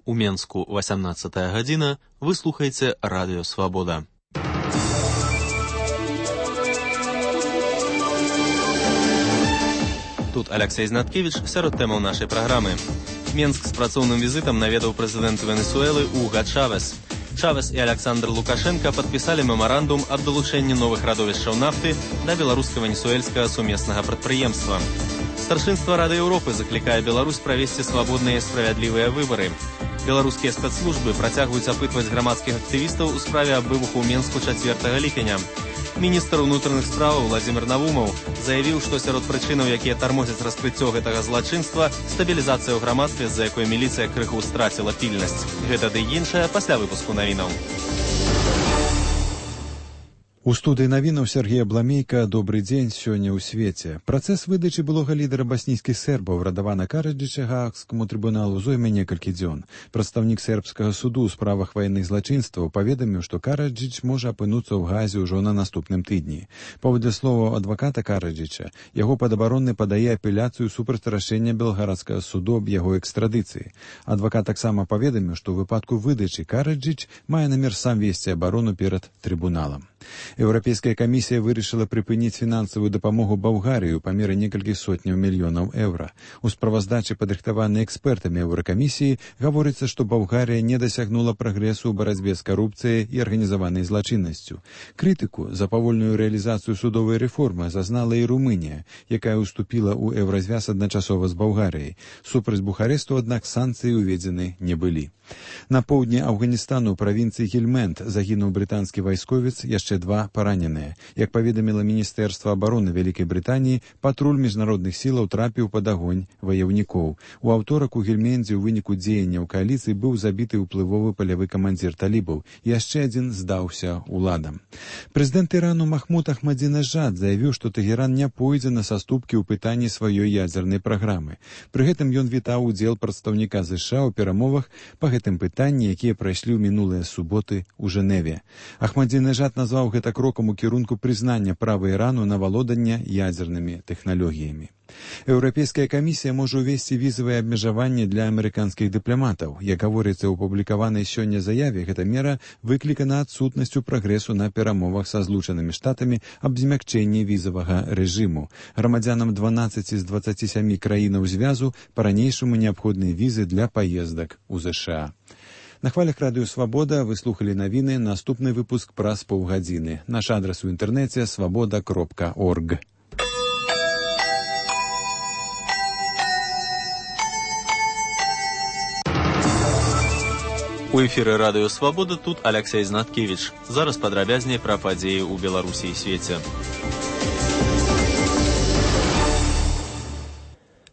У Менску 18 гадзіна, вы слухаеце Радыё Свабода. Тут Алексей Знаткевич сярод тэмаў нашай праграмы. Менск з працоўным візітам наведаў прэзідэнт Венесуэлы Уга Чавес. Чавес і Александр Лукашенко падпісалі мемарандум аб далучэнні новых радовішчаў нафты да беларуска-венесуэльскага сумеснага прадпрыемства. Старшынства Рады Еўропы заклікае Беларусь правесці свабодныя і справядлівыя выбары. Беларускія спецслужбы працягваюць апытваць грамадскіх актывістаў у справе аб выбуху ў Менску 4 ліпеня. Міністр унутраных справаў Владзімір Навумаў заявіў, што сярод прычынаў, якія тармозяць раскрыццё гэтага злачынства, стабілізацыя ў грамадстве, з-за якой міліцыя крыху страціла пільнасць. Гэта ды іншае пасля выпуску навінаў. У студыі навінаў Сергея Бламейка. Добры дзень сёння ў свеце. Працэс выдачы былога лідара баснійскіх сербаў Радавана Караджыча Гаагскаму трыбуналу зойме некалькі дзён. Прадстаўнік сербскага суду ў справах ваенных злачынстваў паведаміў, што Караджыч можа апынуцца ў Газе ўжо на наступным тыдні. Паводле словаў адваката Караджыча, яго падабаронны падае апеляцыю супраць рашэння белгарадскага суду аб яго экстрадыцыі. Адвакат таксама паведаміў, што ў выпадку выдачы Караджыч мае намер сам весці абарону перад трыбуналам. Еўрапейская камісія вырашыла прыпыніць фінансавую дапамогу Балгарыі ў памеры некалькіх сотняў мільёнаў еўра. У справаздачы, падрыхтаванай экспертамі Еўракамісіі, гаворыцца, што Балгарыя не дасягнула прагрэсу ў барацьбе з карупцыяй і арганізаванай злачыннасцю. Крытыку за павольную рэалізацыю судовай рэформы зазнала і Румынія, якая ўступіла ў еўразвяз адначасова з Балгарыяй. Супраць Бухаресту, аднак, санкцыі ўведзены не былі. На поўдні Афганістану ў правінцыі Гельмент загінуў брытанскі вайсковец, яшчэ 2 параненыя. Як паведаміла Міністэрства абароны Вялікай Брытаніі, патруль міжнародных сілаў трапіў пад агонь ваяўнікоў. У аўторак у Гельмендзе ў выніку дзеянняў кааліцыі быў забіты ўплывовы палявы камандзір талібаў. Яшчэ адзін здаўся уладам. Прэзідэнт Ірану Махмуд Ахмадзінежад заявіў, што Тэгеран не пойдзе на саступкі ў пытанні сваёй ядзернай праграмы. Пры гэтым ён вітаў удзел прадстаўніка США ў перамовах па гэтым пытанні, якія прайшлі ў мінулыя суботы ў Жэневе. Ахмадзінежад назваў гэта крокам у кірунку прызнання права Ірану на валоданне ядзернымі тэхналогіямі. Еўрапейская камісія можа ўвесці візавыя абмежаванні для амерыканскіх дыпламатаў. Як гаворыцца ў апублікаванай сёння заяве, гэта мера выклікана адсутнасцю прагрэсу на перамовах са Злучанымі Штатамі аб змякчэнні візавага рэжыму. Грамадзянам 12 з 27 краінаў звязу па-ранейшаму неабходныя візы для паездак у ЗША. На хвалях Радыё Свабода вы слухалі навіны, наступны выпуск праз паўгадзіны. Наш адрас у інтэрнэце свабода.орг. У эфіры Радыё Свабода, тут Алексей Знаткевич. Зараз падрабязней пра падзеі ў Беларусі і свеце.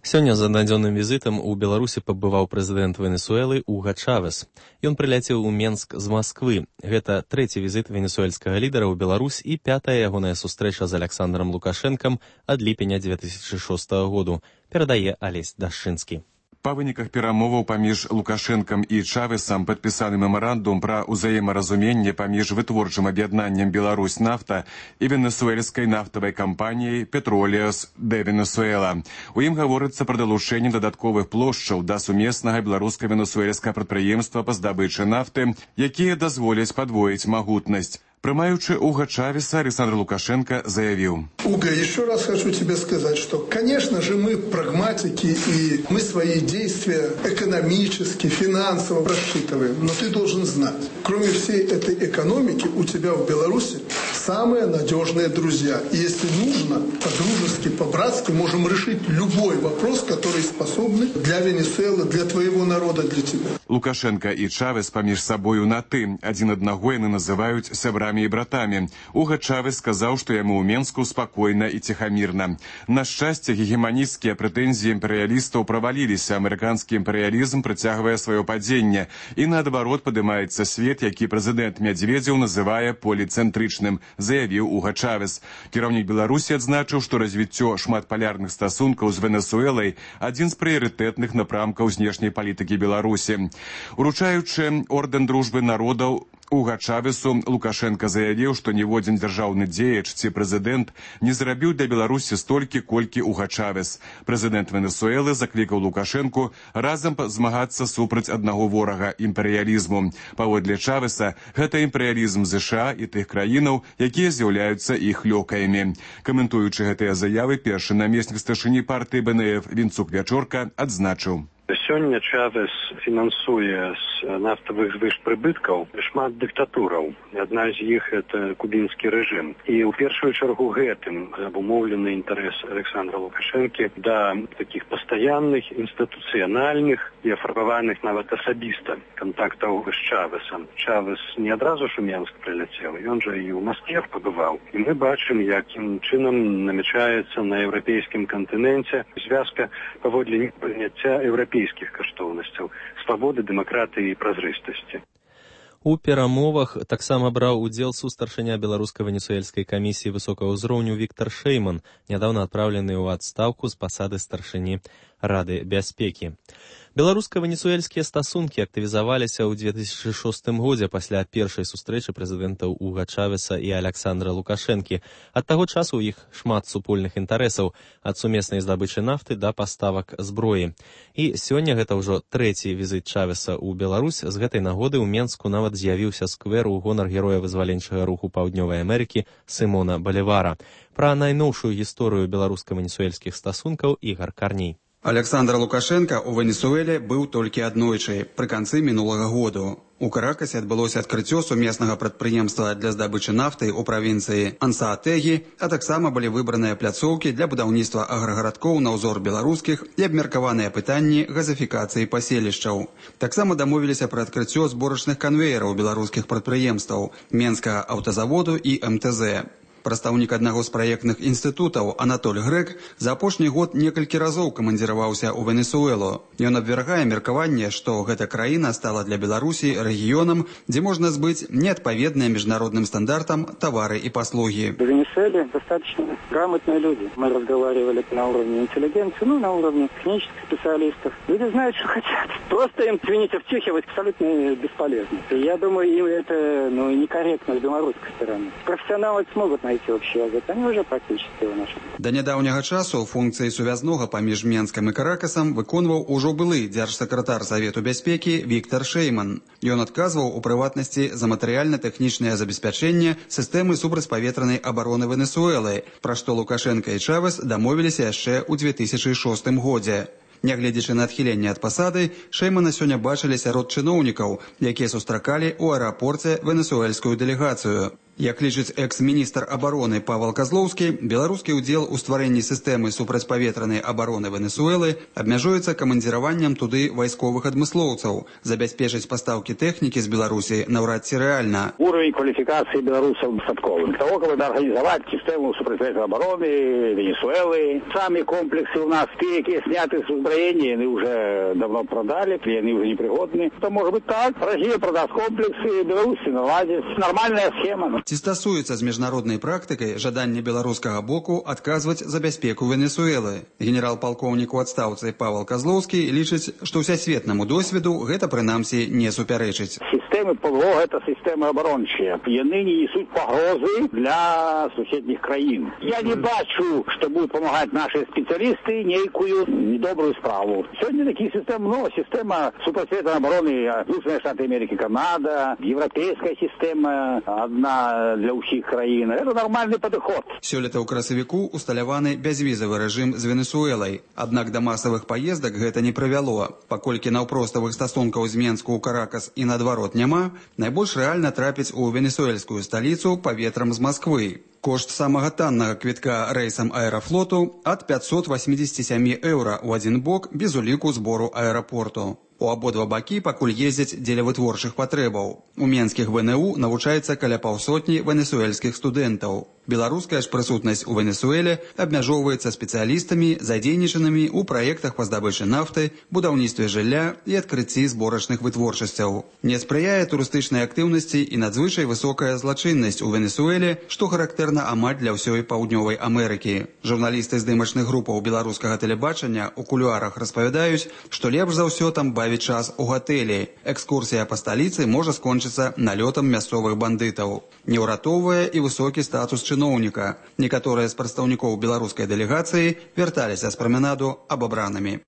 Сёння з аднадзённым візітам у Беларусі пабываў прэзідэнт Венесуэлы Уга Чавес. Ён прыляцеў у Менск з Масквы. Гэта 3-й візіт венесуэльскага лідара ў Беларусь і 5-я ягоная сустрэча з Александром Лукашэнкам ад ліпеня 2006 году, перадае Алесь Дашчынскі. Па выніках перамоваў паміж Лукашэнкам і Чавесам падпісаны мемарандум пра ўзаемаразуменне паміж вытворчым аб'яднаннем Беларусь нафта і венесуэльскай нафтавай кампаніяй Petroleos de Venezuela. У ім гаворыцца пра далучэнне дадатковых плошчаў да сумеснага беларуска-венесуэльскага прадпрыемства па здабычы нафты, якія дазволяць падвоіць магутнасць. Прымаючы Уга Чавеса, Александр Лукашенко заявил: Уга, еще раз хочу тебе сказать, что, конечно же, мы прагматики, и мы свои действия экономически, финансово рассчитываем. Но ты должен знать, кроме всей этой экономики, у тебя в Беларуси самые надежные друзья. И если нужно, по-дружески, по-братски можем решить любой вопрос, который способны для Венесуэлы, для твоего народа, для тебя. Лукашенко и Чавес паміж сабою на «ты». Один одного яны называют сябрамі і братамі. Уга Чавес сказаў, што яму ў Менску спакойна і ціхамірна. На шчасце, гегеманісцкія прэтэнзіі імперыялістаў праваліліся. Амерыканскі імперыялізм прыцягвае сваё падзенне. І наадварот падымаецца свет, які прэзідэнт Медведзеў называе поліцэнтрычным, заявіў Уга Чавес. Кіраўнік Беларусі адзначыў, што развіццё шматпалярных стасункаў з Венесуэлай адзін з прыярытэтных напрамкаў знешняй палітыкі Беларусі. Уручаючы ордэн дружбы народаў Уга Чавесу Лукашенко заявіў, што ніводзін дзяржаўны дзеяч ці прэзідэнт не зрабіў для Беларусі столькі, колькі Уга Чавес. Прэзідэнт Венесуэлы заклікаў Лукашенку разам змагацца супраць аднаго ворага – імперыялізму. Паводле Чавеса, гэта імперыялізм США і тых краінаў, якія з'яўляюцца іх лёкаямі. Каментуючы гэтыя заявы, першы намеснік старшыні партыі БНФ Вінцук Вячорка адзначыў. Сёння Чавес фінансуе з нафтавых звышпрыбыткаў шмат дыктатураў. Адна з іх – это кубінскі рэжым. І ў першую чаргу гэтым абумоўлены інтарэс Александра Лукашэнкі да такіх пастаянных, інстытуцыянальных і афарбаваных нават асабіста кантактаў з Чавесам. Чавес не адразу ж у Менск прыляцеў, ён жа і ў Маскве пабываў. І мы бачым, якім чынам намячаецца на еўрапейскім кантыненце звязка паводле непрыняцця еўрапейскіх каштоўнасцяў, свабоды, дэмакратыі і празрыстасці. У перамовах таксама браў удзел сустаршыня беларуска-венесуэльскай камісіі высокага ўзроўню Віктар Шэйман, нядаўна адпраўлены ў адстаўку з пасады старшыні Рады бяспекі. Беларуска-венесуэльскія стасункі актывізаваліся ў 2006 годзе пасля першай сустрэчы прэзідэнтаў Уга Чавеса і Александра Лукашэнкі. Ад таго часу ў іх шмат супольных інтарэсаў, ад сумеснай здабычы нафты да паставак зброі. І сёння гэта ўжо трэці візіт Чавеса ў Беларусь. З гэтай нагоды ў Менску нават з'явіўся сквер у гонар героя вызваленчага руху Паўднёвай Амерыкі Сымона Балівара. Пра найноўшую гісторыю беларуска-венесуэльскіх стасункаў Ігар Карней. Александр Лукашенко ў Венесуэле быў толькі аднойчы, пры канцы мінулага году. У Каракасе адбылося адкрыццё сумеснага прадпрыемства для здабычы нафты ў правінцыі Ансаатэгі, а таксама былі выбраныя пляцоўкі для будаўніцтва аграгарадкоў на ўзор беларускіх і абмеркаваныя пытанні газафікацыі паселішчаў. Таксама дамовіліся пра адкрыццё зборачных канвеераў беларускіх прадпрыемстваў Менскага аўтазаводу і МТЗ. Прадстаўнік аднаго з праектных інстытутаў Анатоль Грэк за апошні год некалькі разоў камандзіраваўся ў Венесуэлу. Ён абвяргае меркаванне, што гэта краіна стала для Беларусі рэгіёнам, дзе можна збыць неадпаведныя міжнародным стандартам тавары и паслуги. В Венесуэле достаточно грамотные люди. Мы разговаривали на уровне интеллигенции, на уровне технических специалистов. Люди знают, что хотят. Просто им, извините, втюхивать абсолютно бесполезно. И я думаю, им это некорректно с белорусской стороны. Профессионалы смогут найти общий язык, они уже практически его нашли. Да нядаўняга часу функцыі сувязнога паміж Менскам і Каракасам выконваў ужо былы дзяржсакратар Савету бяспекі Віктар Шэйман. Ён адказваў у прыватнасці за матэрыяльна-тэхнічнае забеспячэнне сістэмы супрацьпаветранай абароны Венесуэлы, пра што Лукашенко і Чавес дамовіліся яшчэ ў 2006 годзе. Нягледзячы на адхіленне ад пасады, Шэймана сёння бачылі сярод чыноўнікаў, якія сустракалі ў аэрапорце венесуэльскую дэлегацыю. Як лічыць экс-міністр абароны Павел Козлоўскі, беларускі ўдзел у стварэнні сістэмы супрацьпаветранай абароны Венесуэлы абмяжуецца камандзіраваннем туды вайсковых адмыслоўцаў. Забяспечыць пастаўкі тэхнікі з Беларусі наўрад ці рэальна. Уровень квалификации белорусов достатковый. Для того, чтобы организовать систему супрацьпаветранной обороны Венесуэлы. Сами комплексы у нас, те, которые сняты с узброения, они уже давно продали, они уже непригодны. То может быть так. Россия продаст комплексы, Беларуси наладит. Нормальная схема. Ці стасуецца з міжнароднай практыкай жаданне беларускага боку адказваць за бяспеку Венесуэлы. Генерал-палкоўнік у адстаўцы Павел Козлоўскі лічыць, што ўсясветнаму досведу гэта прынамсі не супярэчыць. Системы ПВО – это системы оборончие. И они не несут погрозы для соседних краин. Я не бачу, что будут помогать наши специалисты некую недобрую справу. Сегодня такие системы, система супрацьпаветранной обороны Соединенные Штаты Америки, Канада, европейская система одна для ўсіх краін. Это нормальный подход. Сёлета ў красавіку усталяваны бязвізавы рэжым з Венесуэлай. Аднак да масавых паездак гэта не прывяло. Паколькі наўпроставых стасункаў з Менску ў Каракас і наадварот няма, найбольш рэальна трапіць у венесуэльскую сталіцу паветрам з Масквы. Кошт самага таннага квітка рэйсам аэрафлоту ад 587 еўра ў адзін бок без уліку збору аэрапорту. У абодва бакі пакуль ездзяць дзеля вытворчых патрэбаў. У менскіх ВНУ навучаецца каля паўсотні венесуэльскіх студэнтаў. Беларуская ж прысутнасць у Венесуэле абмяжоўваецца спецыялістамі, задзейнічанымі ў праектах па здабычы нафты, будаўніцтве жылля і адкрыцці зборачных вытворчасцяў. Не спрыяе турыстычнай актыўнасці і надзвычай высокая злачыннасць у Венесуэле, што характэрна амаль для ўсёй Паўднёвай Амерыкі. Журналісты здымачных групаў беларускага тэлебачання ў кулуарах распавядаюць, што лепш за ўсё там бавіць час у гатэлі. Экскурсія па сталіцы можа скончыцца налётам мясцовых бандытаў. Не ўратоўвае і высокі статус чыноўніка. Некаторыя з прадстаўнікоў беларускай дэлегацыі вярталіся з праменаду абабранымі.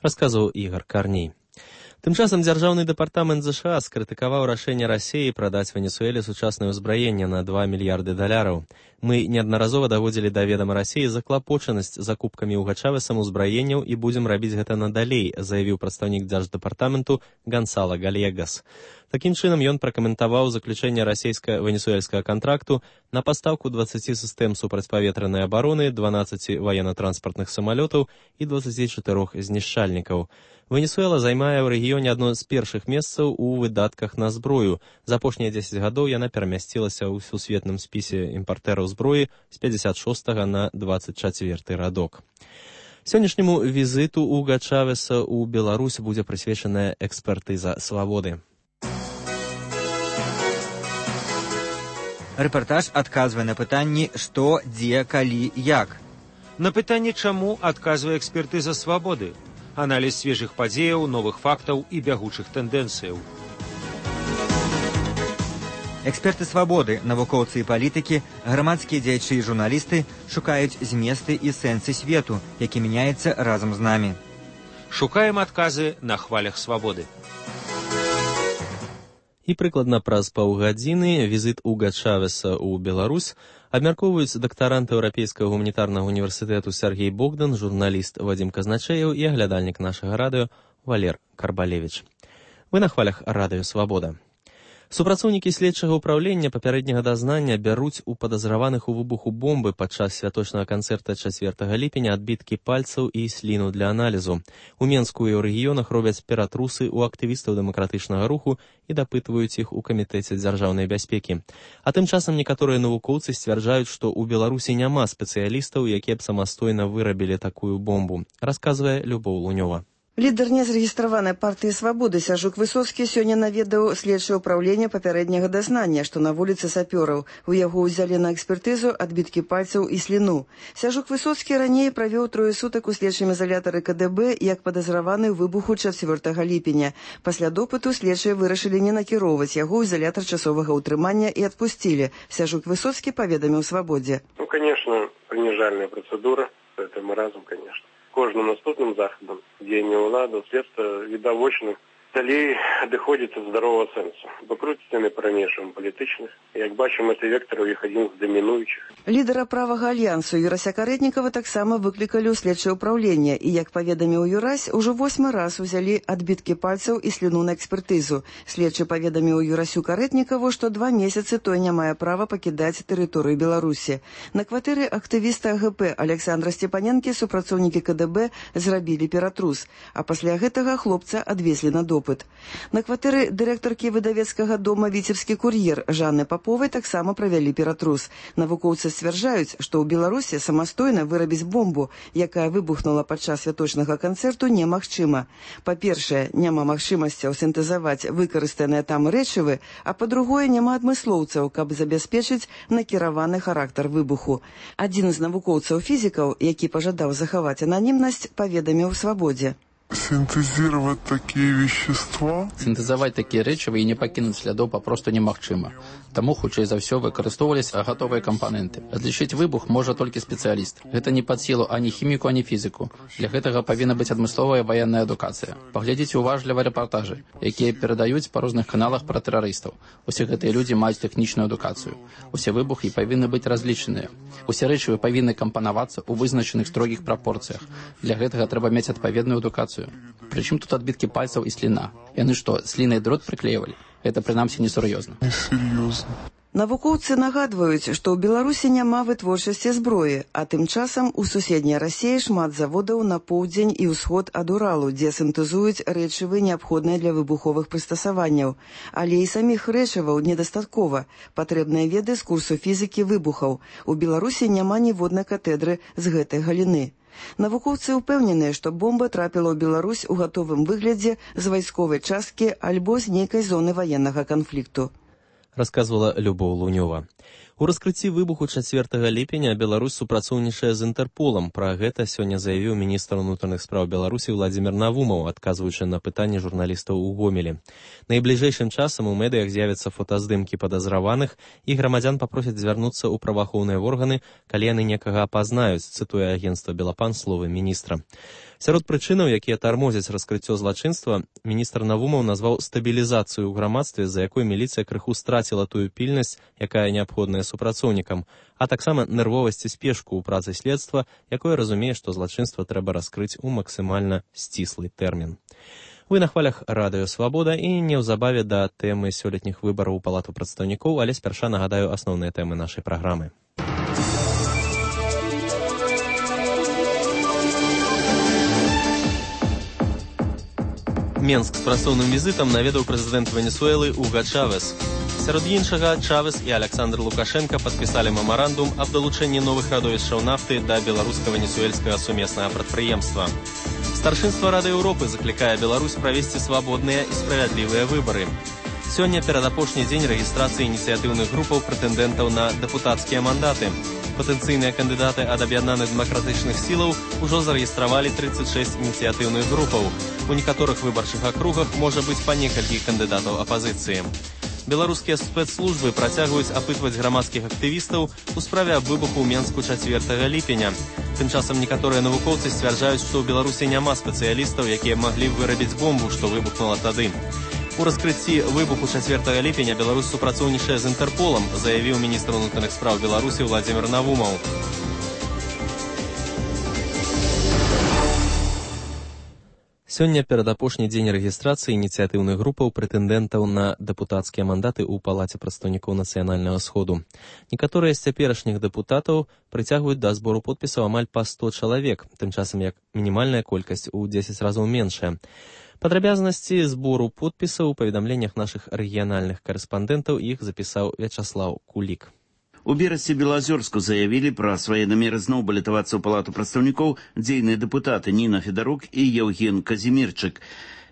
Расказаў Ігор Карней. Тым часам дзяржаўны дэпартамент ЗША скрытыкаваў рашэнне Расіі прадаць Венесуэле сучаснае ўзбраенне на $2 мільярды. Мы неаднаразова даводзілі да ведама Расіі заклапочанасць закупкамі ў Гачавесам узбраенняў і будзем рабіць гэта надалей, заявіў прадстаўнік дзярждэпартаменту Гансала Гальегас. Такім чынам ён пракаментаваў заключэнне расійска-венесуэльскага кантракту на пастаўку 20 сістэм супрацьпаветранай абароны, 12 ваенна-транспартных самалётаў і 24 знішчальнікаў. Венесуэла займае ў рэгіёне адно з першых месцаў у выдатках на зброю. За апошнія 10 гадоў яна перамясцілася ў сусветным спісе імпартэраў зброі з 56 на 24 радок. Сённяшняму візіту Уга Чавеса ў Беларусь будзе прысвечаная экспертыза свабоды. Рэпартаж адказвае на пытанні «Што, дзе, калі, як?». На пытанне «Чаму?» адказвае экспертыза свабоды. Аналіз свежых падзеяў, новых фактаў і бягучых тэндэнцыяў. Эксперты свабоды, навукоўцы і палітыкі, грамадскія дзеячы і журналісты шукаюць зместы і сэнсы свету, які мяняецца разам з намі. Шукаем адказы на хвалях свабоды. І прыкладна праз паўгадзіны візіт Уга Чавеса ў Беларусь абмяркоўваюць дактарант Еўрапейскага гуманітарнага універсітэту Сергей Богдан, журналіст Вадзім Казначеев і аглядальнік нашага радыё Валер Карбалевіч. Вы на хвалях радыё «Свабода». Супрацоўнікі следчага ўпраўлення папярэдняга дазнання бяруць у падазраваных у выбуху бомбы падчас святочнага канцэрта 4 ліпеня адбіткі пальцаў і сліну для аналізу. У Менску і ў рэгіёнах робяць ператрусы ў актывістаў дэмакратычнага руху і дапытваюць іх у камітэце дзяржаўнай бяспекі. А тым часам некаторыя навукоўцы сцвярджаюць, што ў Беларусі няма спецыялістаў, якія б самастойна вырабілі такую бомбу, расказвае Любоў Лунёва. Лідар незарэгістраванай партыі «Свабоды» Сяжук Высоцкі сёння наведаў следчае ўпраўленне папярэдняга дазнання, што на вуліцы Сапёраў. У яго ўзялі на экспертызу адбіткі пальцаў і сліну. Сяжук Высоцкі раней правёў 3 сутак у следчым ізалятары КДБ як падазраваны ў выбуху 4 ліпеня. Пасля допыту следчыя вырашылі не накіроўваць яго ў ізалятар часовага ўтрымання і адпусцілі. Сяжук Высоцкі паведаміў «Свабодзе». Конечно, принижальная процедура. Это маразм, конечно. Кожным наступным заходам дзеяння ўлады следства відавочна далей адыходзіць ад здаровага сэнсу. Пакруціць яны па-ранейшаму палітычных. Як бачым, гэты вектар у іх адзін з дамінуючых. Лідара правага альянсу Юрася Карэтнікава таксама выклікалі ў следчае ўпраўленне і, як паведаміў Юрась, ужо 8 раз узялі адбіткі пальцаў і сліну на экспертызу. Следчы паведаміў Юрасю Карэтнікаву, што 2 месяцы той не мае права пакідаць тэрыторыю Беларусі. На кватэры актывіста АГП Александра Степаненкі супрацоўнікі КДБ зрабілі ператрус, а пасля гэтага хлопца адвезлі на допыт. На кватэры дырэктаркі выдавецкага дома «Віцебскі кур'ер» Жанны Паповай таксама правялі ператрус. Навукоўцы сцвярджаюць, што ў Беларусі самастойна вырабіць бомбу, якая выбухнула падчас святочнага канцэрту, немагчыма. Па-першае, няма магчымасцяў сінтэзаваць выкарыстаныя там рэчывы, а па-другое, няма адмыслоўцаў, каб забяспечыць накіраваны характар выбуху. Адзін з навукоўцаў-фізікаў, які пажадаў захаваць ананімнасць, паведаміў «Свабодзе». Синтезировать такие вещества? Синтезовать такие рэчывы і не пакінуць слядоў папросту немагчыма. Таму, хутчэй за ўсё, выкарыстоўваліся гатовыя кампаненты. Адлічыць выбух можа толькі спецыяліст. Гэта не пад сілу ані хіміку, ані фізіку. Для гэтага павінна быць адмысловая ваенная адукацыя. Паглядзіце уважліва рэпартажы, якія перадаюць па розных каналах пра тэрарыстаў. Усе гэтыя людзі маюць тэхнічную адукацыю. Усе выбухі павінны быць разлічаныя. Усе рэчывы павінны кампанавацца ў вызначаных строгіх прапорцыях. Для гэтага трэба мець адпаведную адукацыю. Прычым тут адбіткі пальцаў і сліна? Яны што, слінай дрот прыклеівалі? Гэта, прынамсі, несур'ёзна. Несур'ёзна. Навукоўцы нагадваюць, што ў Беларусі няма вытворчасці зброі, а тым часам у суседняй Расіі шмат заводаў на поўдзень і ўсход ад Уралу, дзе сінтэзуюць рэчывы, неабходныя для выбуховых прыстасаванняў. Але і саміх рэчываў недастаткова. Патрэбныя веды з курсу фізікі выбухаў. У Беларусі няма ніводнай катедры з гэтай галіны. Навукоўцы ўпэўненыя, што бомба трапіла ў Беларусь у гатовым выглядзе з вайсковай часткі альбо з нейкай зоны ваеннага канфлікту. Расказвала Любоў Лунёва. У раскрыцці выбуху 4 ліпеня Беларусь супрацоўнічае з Інтэрполам. Пра гэта сёння заявіў міністр унутраных спраў Беларусі Владзімір Навумаў, адказваючы на пытанні журналістаў у Гомелі. Найбліжэйшым часам у медыях з'явяцца фотаздымкі падазраваных, і грамадзян папросяць звярнуцца ў праваахоўныя органы, калі яны некага апазнаюць, цытуе агенцтва Белапан словы міністра. Сярод прычынаў, якія тармозяць раскрыццё злачынства, міністр Навумаў назваў стабілізацыю ў грамадстве, з-за якой міліцыя крыху страціла тую пільнасць, якая неабходная супрацоўнікам, а таксама нервовасць і спешку ў працы следства, якое разумее, што злачынства трэба раскрыць у максімальна сціслы тэрмін. Вы на хвалях Радыё Свабода, і неўзабаве да тэмы сёлетніх выбараў у Палату прадстаўнікоў, але спярша нагадаю асноўныя тэмы нашай праграмы. Менск з працоўным візітам наведаў прэзідэнт Венесуэлы Уга Чавес. Сярод іншага, Чавес і Александр Лукашенка падпісалі мемарандум аб далучэнні новых радовішчаў нафты да беларуска-венесуэльскага сумеснага прадпрыемства. Старшынства Рады Еўропы заклікае Беларусь правесці свабодныя і справядлівыя выбары. Сёння перадапошні дзень рэгістрацыі ініцыятыўных групаў прэтэндэнтаў на дэпутацкія мандаты. Патэнцыйныя кандыдаты ад аб'яднаных дэмакратычных сілаў ужо зарэгістравалі 36 ініцыятыўных групаў. У некаторых выбарчых акругах можа быць па некалькі кандыдатаў апазіцыі. Беларускія спецслужбы працягваюць апытваць грамадскіх актывістаў у справе аб выбуху ў Менску 4 ліпеня. Тым часам некаторыя навукоўцы сцвярджаюць, што ў Беларусі няма спецыялістаў, якія маглі б вырабіць бомбу, што выбухнула тады. У раскрыцці выбуху 4 ліпеня Беларусь супрацоўнічае з Інтэрполам, заявіў міністр унутраных спраў Беларусі Владзімір Навумаў. Сёння перадапошні дзень рэгістрацыі ініцыятыўных групаў прэтэндэнтаў на дэпутацкія мандаты ў Палаце прадстаўнікоў нацыянальнага сходу. Некаторыя з цяперашніх дэпутатаў прыцягваюць да збору подпісаў амаль па 100 чалавек, тым часам як мінімальная колькасць у 10 разоў меншая. Падрабязнасці збору подпісаў у паведамленнях нашых рэгіянальных карэспандэнтаў іх запісаў Вячаслаў Кулік. У Берасці Белазёрску заявілі пра свае намеры зноў балятавацца ў Палату прадстаўнікоў дзейныя дэпутаты Ніна Федарук і Еўген Казімірчык.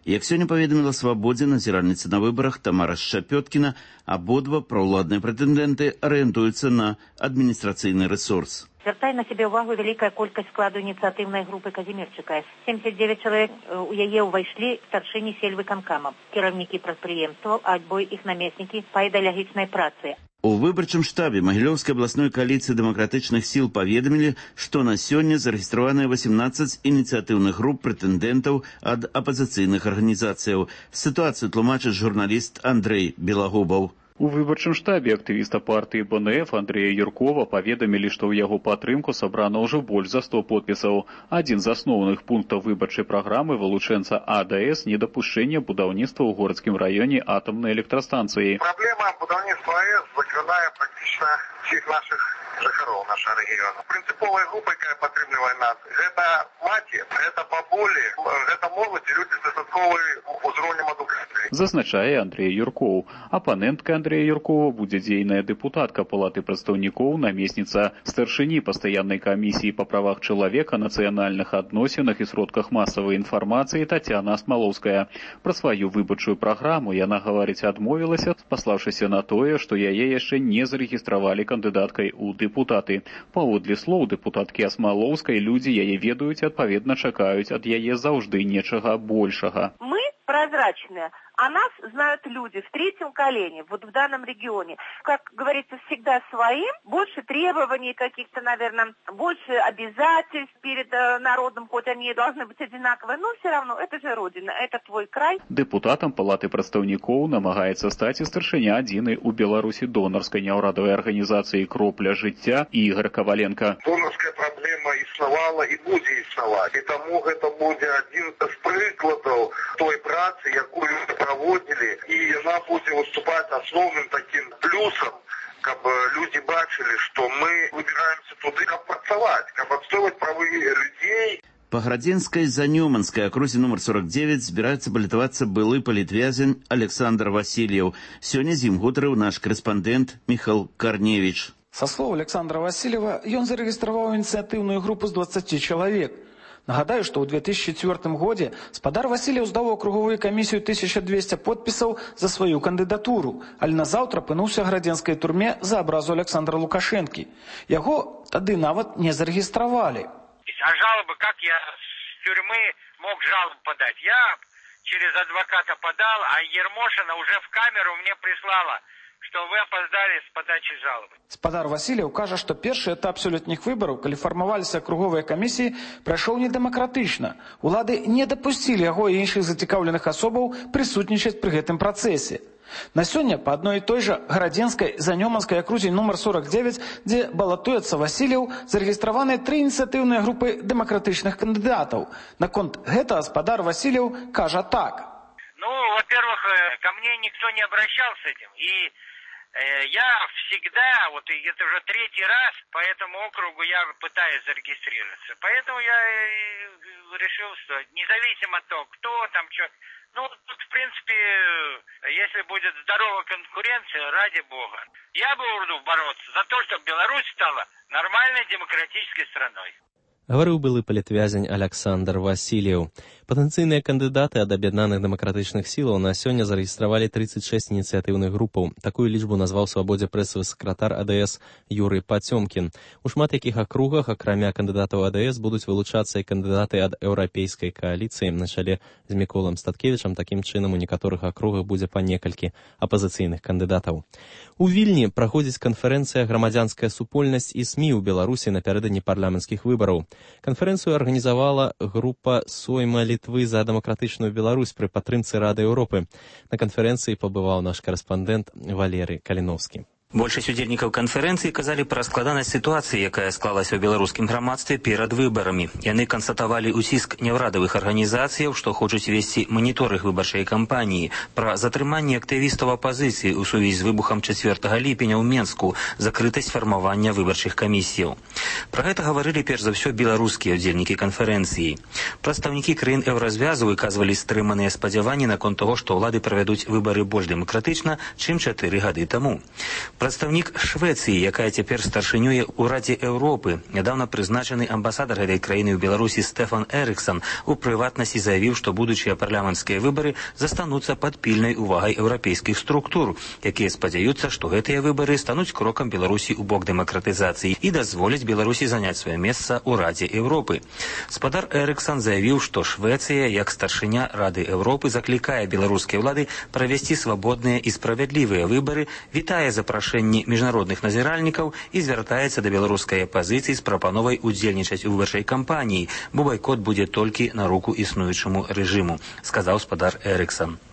Як сёння паведаміла Свабодзе назіральніца на выбарах Тамара Шчапёткіна, абодва праўладныя прэтэндэнты арыентуюцца на адміністрацыйны рэсурс. Звяртае на сябе ўвагу вялікая колькасць складу ініцыятыўнай групы Казімірчыка. 79 чалавек у яе ўвайшлі старшыні сельвыканкама, кіраўнікі прадпрыемстваў, альбо іх намеснікі па ідэалагічнай працы. У выбарчым штабе Магілёўскай абласной кааліцыі дэмакратычных сіл паведамілі, што на сёння зарэгістраваныя 18 ініцыятыўных груп прэтэндэнтаў ад апазіцыйных арганізацыяў. Сітуацыю тлумачыць журналіст Андрэй Белагубаў. У выбарчым штабе актывіста партыі БНФ Андрэя Юркова паведамілі, што ў яго падтрымку сабрана ўжо больш за 100 подпісаў. Адзін з асноўных пунктаў выбарчай праграмы вылучэнца АДС недапушчэння будаўніцтва ў городскім раёне атамнай электрастанцыі. Праблема будаўніцтва АЭС закранае практычна всіх наших жыхароў нашага рэгіёну. Прынцыповая група, якая падтрымлівае нас, гэта маці, гэта бабулі, гэта моладзь і людзі з дастатковым узроўнем адукацыі. Зазначае Андрэй Юркоў. Апанэнтка Андрэя Юркова будзе дзейная дэпутатка Палаты прадстаўнікоў, намесніца старшыні пастаяннай камісіі па правах чалавека, нацыянальных адносінах і сродках масавай інфармацыі Тацяна Асмалоўская. Пра сваю выбарчую праграму яна гаварыць адмовілася, паслаўшыся на тое, што яе яшчэ не зарэгістравалі кандыдаткай у дэпутаты. Паводле слоў дэпутаткі Асмалоўскай, людзі яе ведаюць, адпаведна чакаюць ад яе заўжды нечага большага. Мы прозрачные, а нас знают люди в третьем колене, вот в данном регионе. Как говорится, всегда своим, больше требований каких-то, наверное, больше обязательств перед народом, хоть они и должны быть одинаковые, но все равно, это же Родина, это твой край. Депутатам Палаты прадстаўнікоў намагаецца стаць і старшыня адзінай у Беларусі донарскай няўрадавай арганізацыі «Кропля жыцця» Ігор Коваленко. Донарская проблема існавала і будзе існаваць. І таму гэта будзе адзін з прыкладаў той працы, якую мы праводзілі, і яна будзе выступаць асноўным такім плюсам каб люди бачылі, што мы выбіраемся туды, каб працаваць, каб адстойваць правы людзей. По Градзенской Занёманской округе номер 49 збирается баллотоваться былы политвязень Александр Васильев. Сегодня з ім гутарыў наш корреспондент Михаил Корневич. Со слов Александра Васильева, ён зарегистрировал инициативную группу с 20 человек. Нагадаю, что ў 2004 годзе спадар Васильев здаў у округовую камісію 1200 подпісаў за сваю кандыдатуру, але назаўтра апынуўся ў градзенскай турме за абразу Александра Лукашэнкі. Яго тады нават не зарегистровали. А жалобы, как я с тюрьмы мог жалобу подать? Я через адвоката подал, а Ермошина уже в камеру мне прислала, что вы опоздали с подачей жалобы. Спадар Васильев кажа, што першы этап сёлетніх выбараў, калі фармаваліся акруговыя камісіі, прайшоў недэмакратычна. Улады не дапусцілі яго і іншых зацікаўленых асобаў прысутнічаць пры гэтым працэсе. На сёння па адной і той жа Градзенскай Занёманскай акрузе нумар 49, дзе балатуецца Васильев, зарэгістраваны 3 ініцыятыўныя групы дэмакратычных кандыдатаў. Наконт гэтага спадар Васильев кажа так. Ну, во-первых, ко мне никто не обращался с этим. И я всегда, вот это уже 3-й раз, по этому округу я пытаюсь зарегистрироваться. Поэтому я решил, что независимо от того, кто там, что... Ну, тут, в принципе, если будет здоровая конкуренция, ради бога. Я бы буду бороться за то, чтобы Беларусь стала нормальной демократической страной. Гаварыў былы палітвязень Александр Васильев. Патэнцыйныя кандыдаты ад аб'яднаных дэмакратычных сілаў на сёння зарэгістравалі 36 ініцыятыўных групаў. Такую лічбу назваў свабодзе прэсавы сакратар АДС Юрый Пацёмкін. У шмат якіх акругах, акрамя кандыдатаў АДС, будуць вылучацца і кандыдаты ад еўрапейскай кааліцыі на чале з Міколам Статкевічам. Такім чынам, у некаторых акругах будзе па некалькі апазіцыйных кандыдатаў. У Вільні праходзіць канферэнцыя «Грамадзянская супольнасць і СМІ ў Беларусі напярэдадні парламенцкіх выбараў. Канферэнцыю арганізавала група «Сойма Літвы за дэмакратычную Беларусь» пры падтрымцы Рады Еўропы. На канферэнцыі пабываў наш карэспандэнт Валерый Каліновскі. Большасць удзельнікаў канферэнцыі казалі пра складанасць сітуацыі, якая склалася ў беларускім грамадстве перад выбарамі. Яны канстатавалі ўціск няўрадавых арганізацыяў, што хочуць весці маніторынг выбарчай кампаніі, пра затрыманне актывістаў апазіцыі ў сувязі з выбухам 4 ліпеня ў Менску, закрытасць фармавання выбарчых камісіяў. Пра гэта гаварылі перш за ўсё беларускія ўдзельнікі канферэнцыі. Прадстаўнікі краін еўразвязу выказвалі стрыманыя спадзяванні наконт таго, што ўлады правядуць выбары больш дэмакратычна, чым 4 гады таму. Прадстаўнік Швецыі, якая цяпер старшынюе ў Радзе Еўропы, нядаўна прызначаны амбасадар гэтай краіны ў Беларусі Стефан Эрыксон у прыватнасці заявіў, што будучыя парламенцкія выбары застануцца пад пільнай увагай еўрапейскіх структур, якія спадзяюцца, што гэтыя выбары стануць крокам Беларусі ў бок дэмакратызацыі і дазволяць Беларусі заняць сваё месца ў Радзе Еўропы. Спадар Эрыксон заявіў, што Швецыя, як старшыня Рады Еўропы, заклікае беларускія ўлады правесці свабодныя і справядлівыя выбары, вітае запрашэнне міжнародных назіральнікаў і звяртаецца да беларускай апазіцыі з прапановай удзельнічаць у выбарчай кампаніі, бо байкот будзе толькі на руку існуючаму рэжыму, сказаў спадар Эрыксон.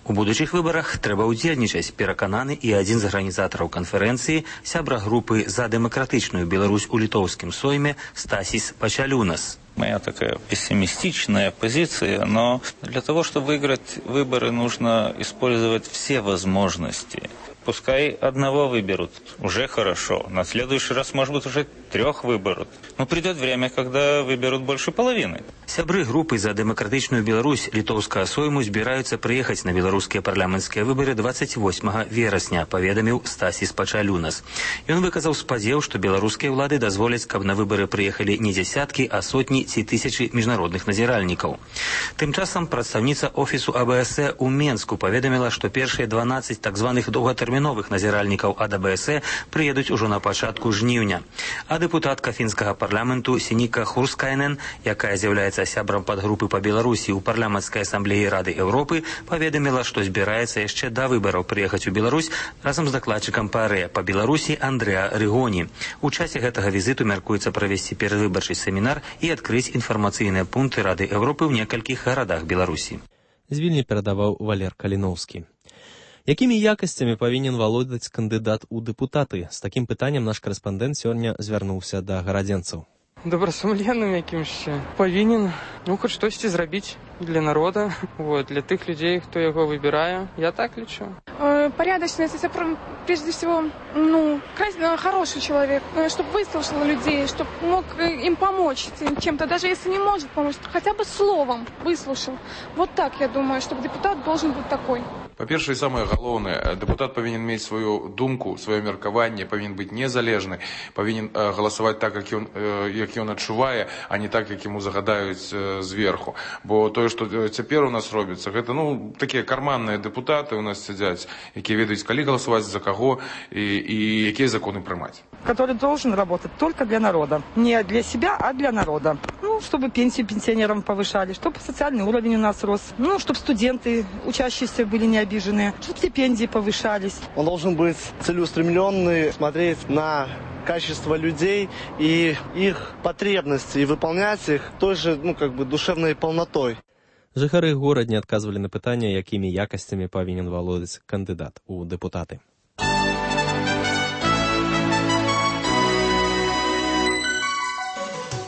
У будучых выбарах трэба удзельнічаць, перакананы і адзін з арганізатараў канферэнцыі, сябра групы «За дэмакратычную Беларусь» у літоўскім Сойме Стасис Пачалюнас. Моя такая пессимистичная позиция, но для того, чтобы выиграть выборы, нужно использовать все возможности. Пускай одного выберут, уже хорошо. На следующий раз, может быть, уже 3 выберут. Но придет время, когда выберут больше половины. Сябры групы «За дэмакратычную Беларусь» літоўскага Сойму збіраюцца прыехаць на беларускія парламенцкія выбары 28 верасня, паведаміў Стасис Пачалюнас. Ён выказаў спадзеў, што беларускія ўлады дазволяць, каб на выбары прыехалі не дзясяткі, а сотні ці тысячы міжнародных назіральнікаў. Тым часам прадстаўніца офісу АБС у Менску паведаміла, што першыя 12 так званых доўгатэрміновых назіральнікаў ад АБС прыедуць ужо на пачатку жніўня. А дэпутатка фінскага парламенту Сініка Хурскайнен, якая з'яўляецца сябрам падгрупы па Беларусі ў парламенцкай асамблеі Рады Еўропы, паведаміла, што збіраецца яшчэ да выбараў прыехаць у Беларусь разам з дакладчыкам ПАРЭ па Беларусі Андрэа Рыгоні. У часе гэтага візіту мяркуецца правесці перадвыбарчы семінар і адкрыць інфармацыйныя пункты Рады Еўропы ў некалькіх гарадах Беларусі. З Вільні перадаваў Валер Каліновскі. Якімі якасцямі павінен валодаць кандыдат у дэпутаты? З такім пытаннем наш карэспандэнт сёння звярнуўся да гарадзенцаў. Добрасумленным якімсь павінен хоць штосьці зрабіць для народа, для тых людзей, хто яго выбірае. Я так лічу. порядочность, это прежде всего, хороший человек, чтобы выслушал людей, чтобы мог им помочь чем-то, даже если не может помочь, хотя бы словом выслушал. Вот так, я думаю, чтобы депутат должен быть такой. Па-першае, і самае галоўнае, дэпутат павінен мець сваю думку, сваё меркаванне, павінен быць незалежны, павінен галасаваць так, як ён адчувае, а не так, як яму загадаюць зверху. Бо тое, што цяпер у нас робіцца, гэта такія карманныя дэпутаты у нас сядзяць, якія ведаюць, калі галасаваць, за каго і якія законы прымаць. Который должен работать только для народа. Не для себя, а для народа. Чтобы пенсию пенсионерам повышали, чтобы социальный уровень у нас рос, чтобы студенты, учащиеся, были не обиженные, чтобы стипендии повышались. Он должен быть целеустремленный, смотреть на качество людей и их потребности, и выполнять их той же, душевной полнотой. Жыхары горадні адказвалі на пытанне, якімі якасцямі павінен валодаць кандыдат у дэпутаты.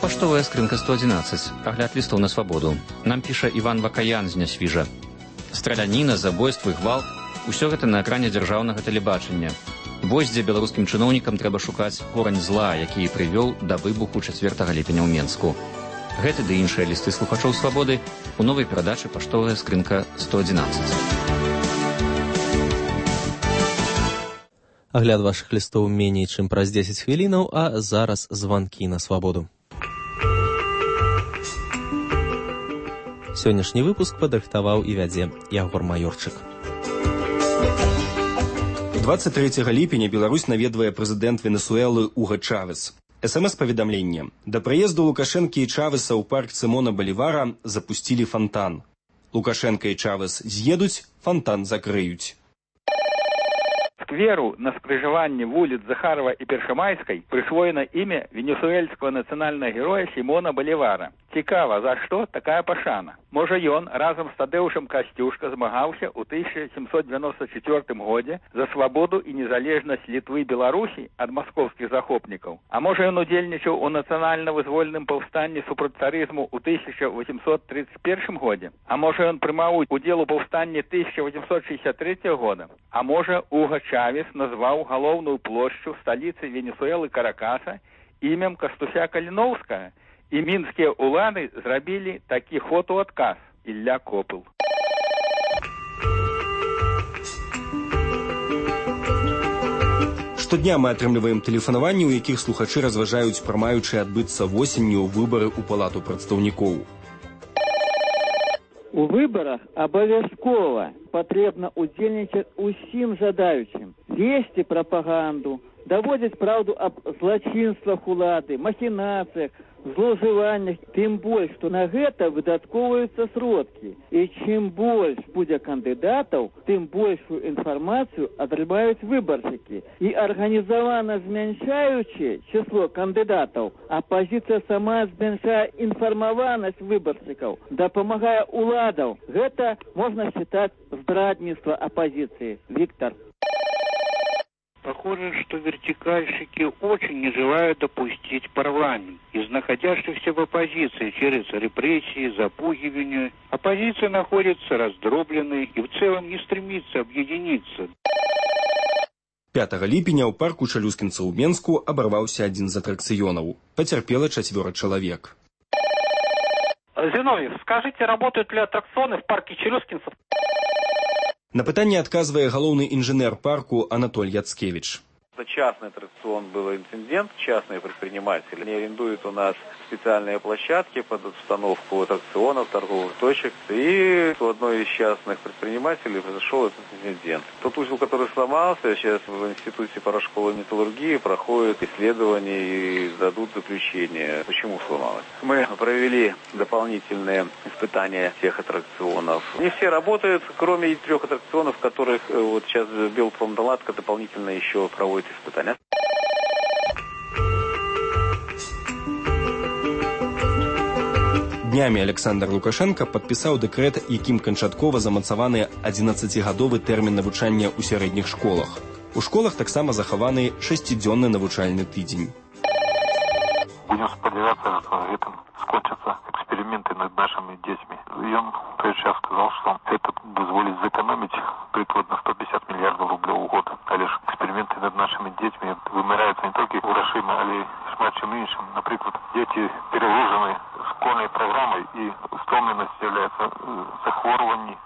Паштовая скрынка 111. Агляд лістоў на свабоду. Нам піша Іван Вакаян з Нясвіжа. Страляніна, забойствы, гвалт – усё гэта на экране дзяржаўнага тэлебачання. Вось дзе беларускім чыноўнікам трэба шукаць корань зла, які і прывёў да выбуху 4 ліпеня ў Менску. Гэты ды іншыя лісты слухачоў свабоды у новай перадачы «Паштовая скрынка 111». Агляд вашых лістоў меней, чым праз 10 хвілінаў, а зараз званкі на свабоду. Сённяшні выпуск падрыхтаваў і вядзе Ягор Маёрчык. 23 ліпеня Беларусь наведвае прэзідэнт Венесуэлы Уга Чавес. СМС-паведамленне. Да прыезду Лукашэнкі і Чавеса ў парк Сімона Балівара запусцілі фонтан. Лукашэнка і Чавес з'едуць, фонтан закрыюць. Скверу на скрыжаванні вуліц Захарова і Першамайскай прысвоена імя венесуэльскага нацыянальнага героя Сімона Балівара. Цікава, за што такая пашана? Можа, ён разам з Тадеушам Касцюшка змагаўся ў 1794 годзе за свабоду і незалежнасць Літвы і Беларусі ад маскоўскіх захопнікаў. А можа, ён удзельнічаў у нацыянальна-вызвольным паўстанні супраць царызму ў 1831 годзе? А можа, ён прымаў удзел у паўстанні 1863 года? А можа, Уга Чавес назваў галоўную плошчу сталіцы Венесуэлы Каракаса імем Кастуся Каліноўскага? І мінскія ўлады зрабілі такі ход у адказ. Ілля Копыл. Штодня мы атрымліваем тэлефанаванні, у якіх слухачы разважаюць пра маючыя адбыцца восенню выбары ў палату прадстаўнікоў. У выбарах абавязкова патрэбна ўдзельнічаць усім жадаючым, весці прапаганду, даводзіць праўду аб злачынствах улады, махінацыях, злоўжываннях, тым больш, што на гэта выдаткоўваюцца сродкі. І чым больш будзе кандыдатаў, тым большую інфармацыю атрымаюць выбаршчыкі. І арганізавана змяншаючы число кандыдатаў, апазіцыя сама змяншае інфармаванасць выбаршчыкаў, дапамагае уладаў. Гэта можна считать здрадніцтва апозиции. Виктор. Похоже, что вертикальщики очень не желают допустить парламент. Из находящихся в оппозиции через репрессии, запугивание, оппозиция находится раздробленной и в целом не стремится объединиться. 5 ліпеня ў парку Чалюскінца ў Менску абарваўся адзін з атракцыёнаў. Пацярпела 4 чалавек. Зиновьев, скажите, работают ли аттракционы в парке Челюскинцев? На пытанне адказвае галоўны інжынер парку Анатоль Яцкевич. Частный аттракцион был инцидент, частные предприниматели не арендуют у нас специальные площадки под установку аттракционов, торговых точек. И у одной из частных предпринимателей произошел этот инцидент. Тот узел, который сломался, сейчас в Институте парашколы металлургии проходит исследование и дадут заключение, почему сломалось. Мы провели дополнительные испытания всех аттракционов. Не все работают, кроме 3 аттракционов, которых вот сейчас Белпромналадка дополнительно еще проводит испытания. Днямі Александр Лукашенко падпісаў дэкрэт, якім канчаткова замацаваны 11гадовы тэрмін навучання ў сярэдніх школах. У школах таксама захаваны 6-дзённы навучальны тыдзень. Будем спадзявацца, што гэтым скончыцца эксперимент. эксперименты над нашими детьми. И он в тот час сказал, что это позволит сэкономить прикладно 150 миллиардов рублей в год. А лишь эксперименты над нашими детьми вымираются не только грошима, але и шмат чим іншим. Например, дети перегружены школьной программой, и стомленность является захворюванием.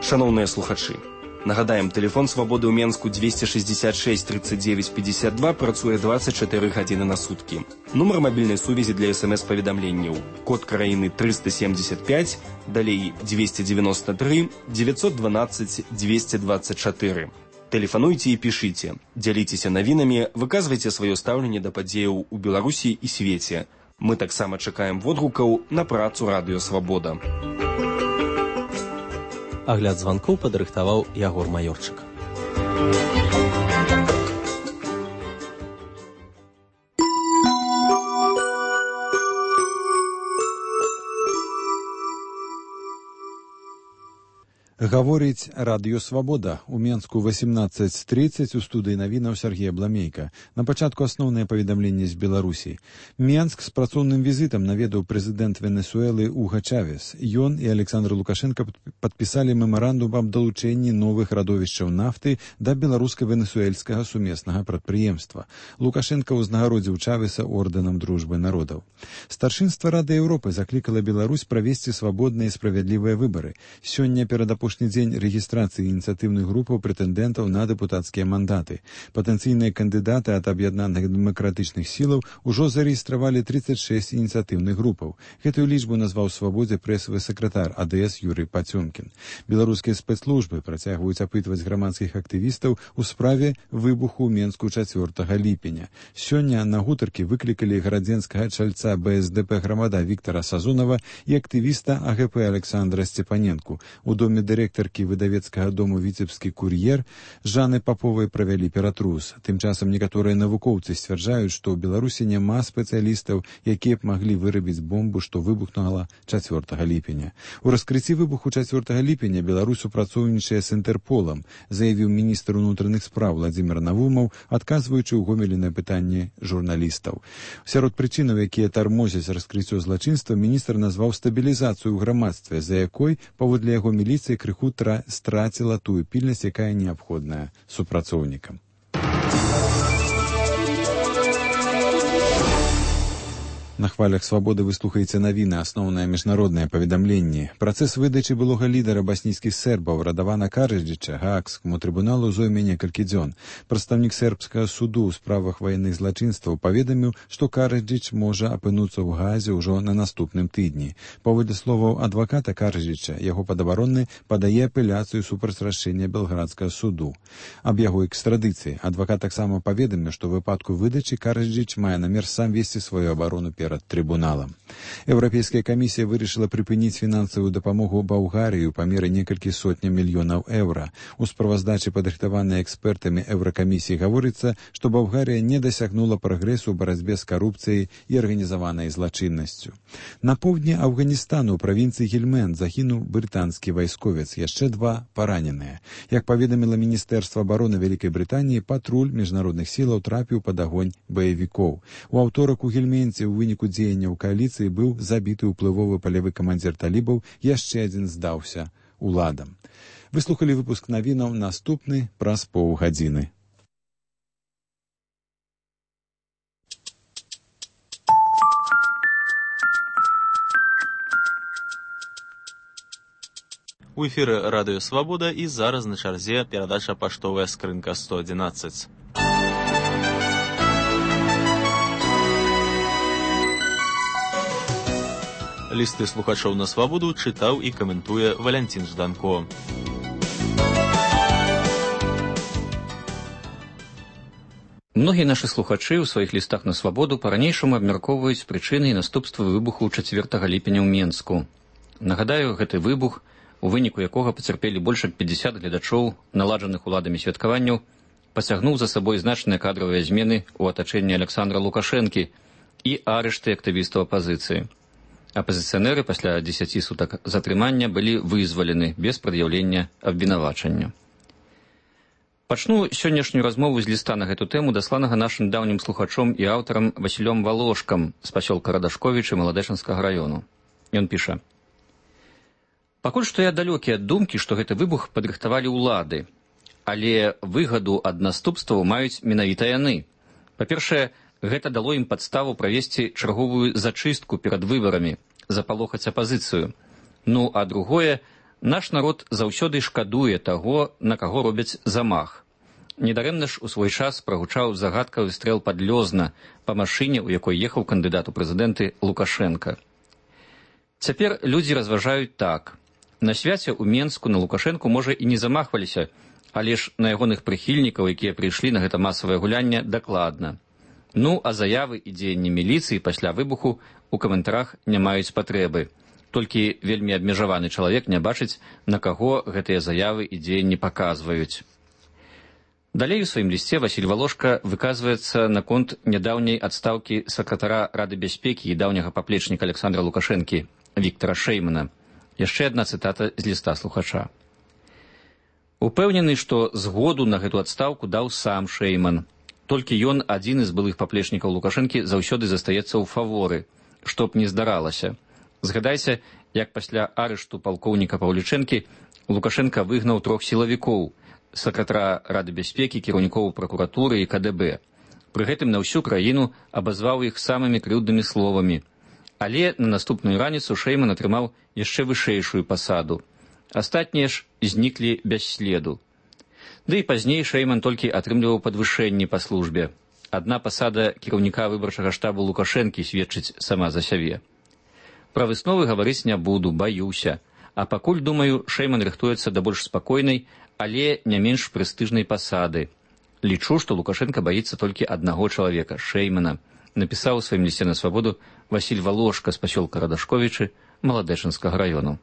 Шановныя слухачы, нагадаем, тэлефон свабоды ў Менску 266 39 52 працуе 24 гадзіны на суткі. Нумар мабільнай сувязі для СМС-паведамленняў. Код краіны 375, далей 293 912 224. Тэлефануйце і пішыце, дзяліцеся навінамі, выказвайце сваё стаўленне да падзеяў у Беларусі і свеце. Мы таксама чакаем водгукаў на працу Радыё Свабода. Агляд званкоў падрыхтаваў Ягор Маёрчык. Гаворыць Радыё Свабода. У Менску 18:30, у студыі навінаў Сергея Бламейка. На пачатку асноўнае паведамленне з Беларусі. Менск з працоўным візітам наведаў прэзідэнт Венесуэлы Уга Чавес. Ён і Александр Лукашенко падпісалі мемарандум аб далучэнні новых радовішчаў нафты да беларуска-венесуэльскага сумеснага прадпрыемства. Лукашенко ўзнагародзіў Чавеса ордэнам дружбы народаў. Старшынства Рады Еўропы заклікала Беларусь правесці свабодныя і справядлівыя выбары. Сёння перад апошні дзень рэгістрацыі ініцыятыўных групаў прэтэндэнтаў на дэпутацкія мандаты. Патэнцыйныя кандыдаты ад аб'яднаных дэмакратычных сілаў ужо зарэгістравалі 36 ініцыятыўных групаў. Гэтую лічбу назваў свабодзе прэсавы сакратар АДС Юрый Пацёмкін. Беларускія спецслужбы працягваюць апытваць грамадскіх актывістаў у справе выбуху ў Менску 4 ліпеня. Сёння на гутаркі выклікалі гарадзенскага чальца БСДП грамада Віктара Сазонава і актывіста АГП Александра Сцепаненку. У доме дырэктаркі выдавецкага дому «Віцебскі кур'ер» Жанны Паповай правялі ператрус. Тым часам некаторыя навукоўцы сцвярджаюць, што ў Беларусі няма спецыялістаў, якія б маглі вырабіць бомбу, што выбухнула 4 ліпеня. У раскрыцці выбуху 4 ліпеня Беларусь супрацоўнічае з Інтэрполам, заявіў міністр унутраных спраў Владзімир Навумаў, адказваючы ў Гомелі на пытанні журналістаў. Сярод прычынаў, якія тармозяць раскрыццё злачынства, міністр назваў стабілізацыю ў грамадстве, за якой, паводле яго міліцыі, крыху страціла тую пільнасць, якая неабходная супрацоўнікам. На хвалях свабоды вы слухаеце навіны, асноўнае міжнароднае паведамленне. Працэс выдачы былога лідара баснійскіх сербаў Радавана Караджыча Гаагскаму трыбуналу зойме некалькі дзён. Прадстаўнік сербскага суду ў справах ваенных злачынстваў паведаміў, што Караджыч можа апынуцца ў Гаазе ўжо на наступным тыдні. Паводле словаў адваката Караджыча, яго падабаронны падае апеляцыю супраць рашэння белградскага суду. Аб яго экстрадыцыі адвакат таксама паведаміў, што ў выпадку выдачы Караджыч мае намер сам весці сваю абарону перад трыбуналам. Еўрапейская камісія вырашыла прыпыніць фінансавую дапамогу Балгарыі ў памеры некалькі сотняў мільёнаў еўра. У справаздачы, падрыхтаванай экспертамі Еўракамісіі, гаворыцца, што Балгарыя не дасягнула прагрэсу ў барацьбе з карупцыяй і арганізаванай злачыннасцю. На поўдні Афганістану ў правінцыі Гельманд загінуў брытанскі вайсковец, яшчэ 2 параненыя. Як паведаміла Міністэрства абароны Вялікай Брытаніі, патруль міжнародных сілаў трапіў пад агонь баевікоў. У аўторак у Гельменце ў выніку дзеянняў кааліцыі быў забіты ўплывовы палявы камандзір талібаў, яшчэ адзін здаўся уладам. Вы слухалі выпуск навінаў, наступны праз паўгадзіны. У эфіры Радыё Свабода і зараз на чарзе перадача «Паштовая скрынка 111». Лісты слухачоў на свабоду чытаў і каментуе Валянцін Жданко. Многія нашы слухачы ў сваіх лістах на свабоду па-ранейшаму абмяркоўваюць прычыны і наступствы выбуху 4 ліпеня ў Менску. Нагадаю, гэты выбух, у выніку якога пацярпелі больш як 50 гледачоў наладжаных уладамі святкаванняў, пасягнуў за сабой значныя кадравыя змены ў атачэнні Александра Лукашэнкі і арышты актывістаў апазіцыі. Апазіцыянеры пасля 10 сутак затрымання былі вызвалены без прад'яўлення абвінавачання. Пачну сённяшнюю размову з ліста на гэту тэму, дасланага нашым даўнім слухачом і аўтарам Васілём Валошкам з пасёлка Радашковіча Маладэчанскага раёну. Ён піша: «Пакуль што я далёкі ад думкі, што гэты выбух падрыхтавалі ўлады, але выгаду ад наступстваў маюць менавіта яны. Па-першае, гэта дало ім падставу правесці чарговую зачыстку перад выбарамі, запалохаць апазіцыю. Ну, а другое, наш народ заўсёды шкадуе таго, на каго робяць замах. Недарэмна ж у свой час прагучаў загадкавы стрэл пад Лёзна па машыне, у якой ехаў кандыдат у прэзідэнты Лукашенка. Цяпер людзі разважаюць так. На свяце ў Менску на Лукашенку, можа, і не замахваліся, але ж на ягоных прыхільнікаў, якія прыйшлі на гэта масавае гулянне, дакладна. Ну, а заявы і дзеянні міліцыі пасля выбуху у каментарах не маюць патрэбы. Толькі вельмі абмежаваны чалавек не бачыць, на каго гэтыя заявы і дзеянні паказваюць». Далей у сваім лісце Васіль Валошка выказваецца наконт нядаўняй адстаўкі сакратара Рады бяспекі і даўняга паплечніка Александра Лукашэнкі Віктара Шэймана. Яшчэ адна цытата з ліста слухача. «Упэўнены, што згоду на гэту адстаўку даў сам Шэйман. Толькі ён, адзін з былых паплечнікаў Лукашэнкі, заўсёды застаецца ў фаворы, што б не здаралася. Згадайся, як пасля арышту палкоўніка Паўлічэнкі Лукашенка выгнаў 3 сілавікоў, сакратара Рады бяспекі, кіраўнікоў пракуратуры і КДБ. Пры гэтым на ўсю краіну абазваў іх самымі крыўднымі словамі. Але на наступную раніцу Шэйман атрымаў яшчэ вышэйшую пасаду. Астатнія ж зніклі без следу. Ды і пазней Шэйман толькі атрымліваў падвышэнні па службе. Адна пасада кіраўніка выбарчага штабу Лукашэнкі сведчыць сама за сябе. Пра высновы гаварыць не буду, баюся. А пакуль, думаю, Шэйман рыхтуецца да больш спакойнай, але не менш прэстыжнай пасады. Лічу, што Лукашенка баіцца толькі аднаго чалавека, Шэймана, напісаў у сваім лісце на свабоду Васіль Валошка з пасёлка Радашковічы Маладэчанскага раёну.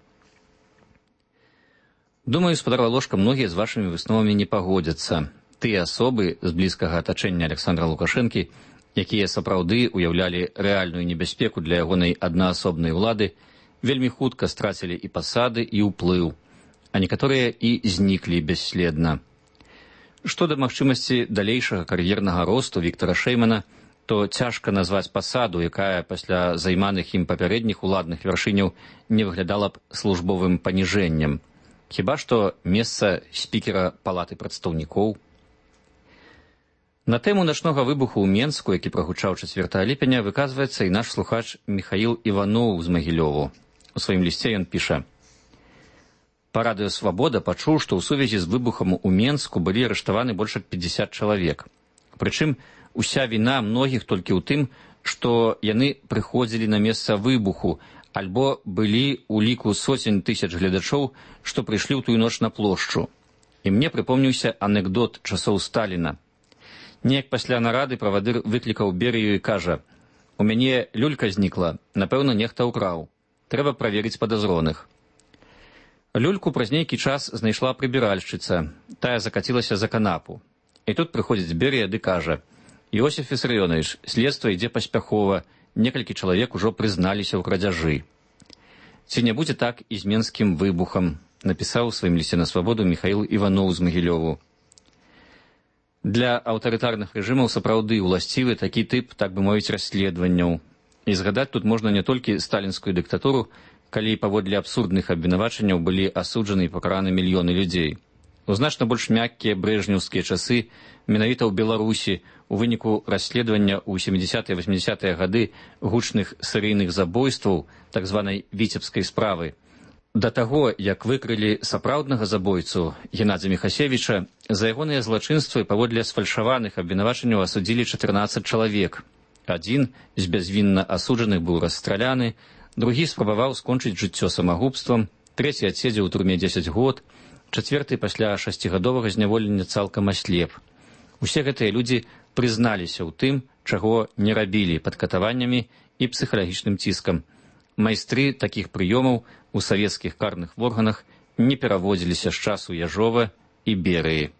Думаю, спадар Валошка, многія з вашымі высновамі не пагодзяцца. Тыя асобы з блізкага атачэння Александра Лукашэнкі, якія сапраўды уяўлялі рэальную небяспеку для ягонай аднаасобнай улады, вельмі хутка страцілі і пасады, і ўплыў, а некаторыя і зніклі бесследна. Што да магчымасці далейшага кар'ернага росту Віктара Шэймана, то цяжка назваць пасаду, якая пасля займаных ім папярэдніх уладных вяршыняў не выглядала б службовым паніжэннем. Хіба што месца спікера палаты прадстаўнікоў. На тэму начнога выбуху ў Менску, які прагучаў 4 ліпеня, выказваецца і наш слухач Міхаіл Іваноў з Магілёву. У сваім лісце ён піша: «Па радыё «Свабода» пачуў, што ў сувязі з выбухам у Менску былі арыштаваны больш як 50 чалавек. Прычым уся віна многіх толькі ў тым, што яны прыходзілі на месца выбуху, альбо былі ў ліку сотень тысяч гледачоў, што прыйшлі ў тую ноч на плошчу. І мне прыпомніўся анекдот часоў Сталіна. Неяк пасля нарады правадыр выклікаў Берыю і кажа: «У мяне люлька знікла, напэўна, нехта ўкраў. Трэба праверыць падазроных». Люльку праз нейкі час знайшла прыбіральшчыца. Тая закацілася за канапу. І тут прыходзіць Берыя ды кажа: «Іосиф Вісарыёнович, следства ідзе паспяхова, некалькі чалавек ужо прызналіся ў крадзяжы». Ці не будзе так і з менскім выбухам, напісаў у сваім лісце на свабоду Міхаіл Іваноў з Магілёву. Для аўтарытарных рэжымаў сапраўды ўласцівы такі тып, так бы мовіць, расследаванняў. І згадаць тут можна не толькі сталінскую дыктатуру, калі паводле абсурдных абвінавачанняў былі асуджаны і пакараны мільёны людзей. У значна больш мяккія брэжнеўскія часы, менавіта ў Беларусі, у выніку расследавання ў 70-80-е гады гучных серыйных забойстваў, так званай віцебскай справы, да таго, як выкрылі сапраўднага забойцу Геннадзя Міхасевіча, за ягоныя злачынствы паводле сфальшаваных абвінавачанняў асудзілі 14 чалавек. Адзін з бязвінна асуджаных быў расстраляны, другі спрабаваў скончыць жыццё самагубствам, трэці адседзеў у турме 10 год, чацвёрты пасля 6гадовага зняволення цалкам аслеп. Усе гэтыя людзі прызналіся ў тым, чаго не рабілі пад катаваннямі і псіхалагічным ціскам. Майстры такіх прыёмаў у савецкіх карных органах не пераводзіліся з часу Яжова і Берыі.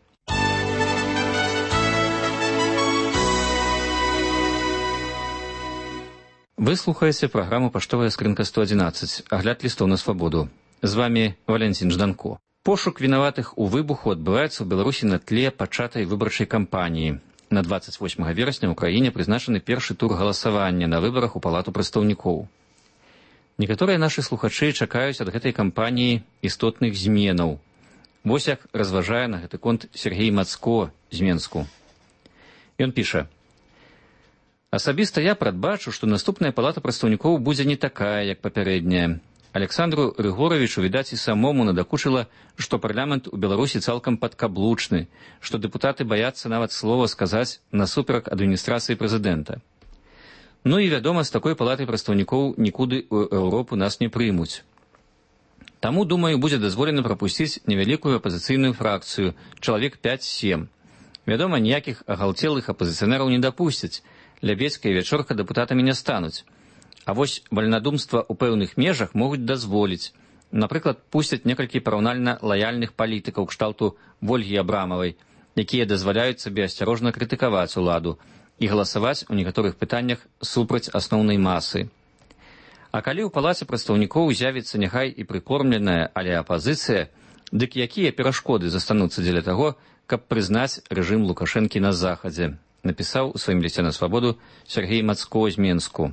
Вы слухаеце праграму «Паштовая скрынка 111», агляд лістоў на свабоду. З вами Валентин Жданко. Пошук вінаватых у выбуху адбываецца ў Беларусі на тле пачатай выбарчай кампаніі. На 28 верасня ў краіне прызначаны першы тур галасавання на выбарах у Палату прадстаўнікоў. Некаторыя нашы слухачы чакаюць ад гэтай кампаніі істотных зменаў. Вось як разважае на гэты конт Сергей Мацко з Менску. Ён піша: «Асабіста я прадбачу, што наступная Палата прадстаўнікоў будзе не такая, як папярэдняя. Александру Рыгоровичу, відаць, і самому надакучыла, што парламент у Беларусі цалкам падкаблучны, што дэпутаты баяцца нават слова сказаць насуперак адміністрацыі прэзідэнта. Ну і, вядома, з такой палатай прадстаўнікоў нікуды ў Еўропу нас не прымуць. Таму, думаю, будзе дазволена прапусціць невялікую апазіцыйную фракцыю, чалавек 5-7. Вядома, ніякіх агалтелых апазіцыянераў не дапусцяць, Лябедзька і Вячорка дэпутатамі не стануць. А вось вальнадумства ў пэўных межах могуць дазволіць. Напрыклад, пусцяць некалькі параўнальна лаяльных палітыкаў кшталту Вольгі Абрамавай, якія дазваляюць сабе асцярожна крытыкаваць уладу і галасаваць у некаторых пытаннях супраць асноўнай масы. А калі ў Палаце прадстаўнікоў з'явіцца няхай і прыкормленая, але апазіцыя, дык якія перашкоды застануцца дзеля таго, каб прызнаць рэжым Лукашэнкі на захадзе, напісаў у сваім лісце на свабоду Сергей Мацко з Менску.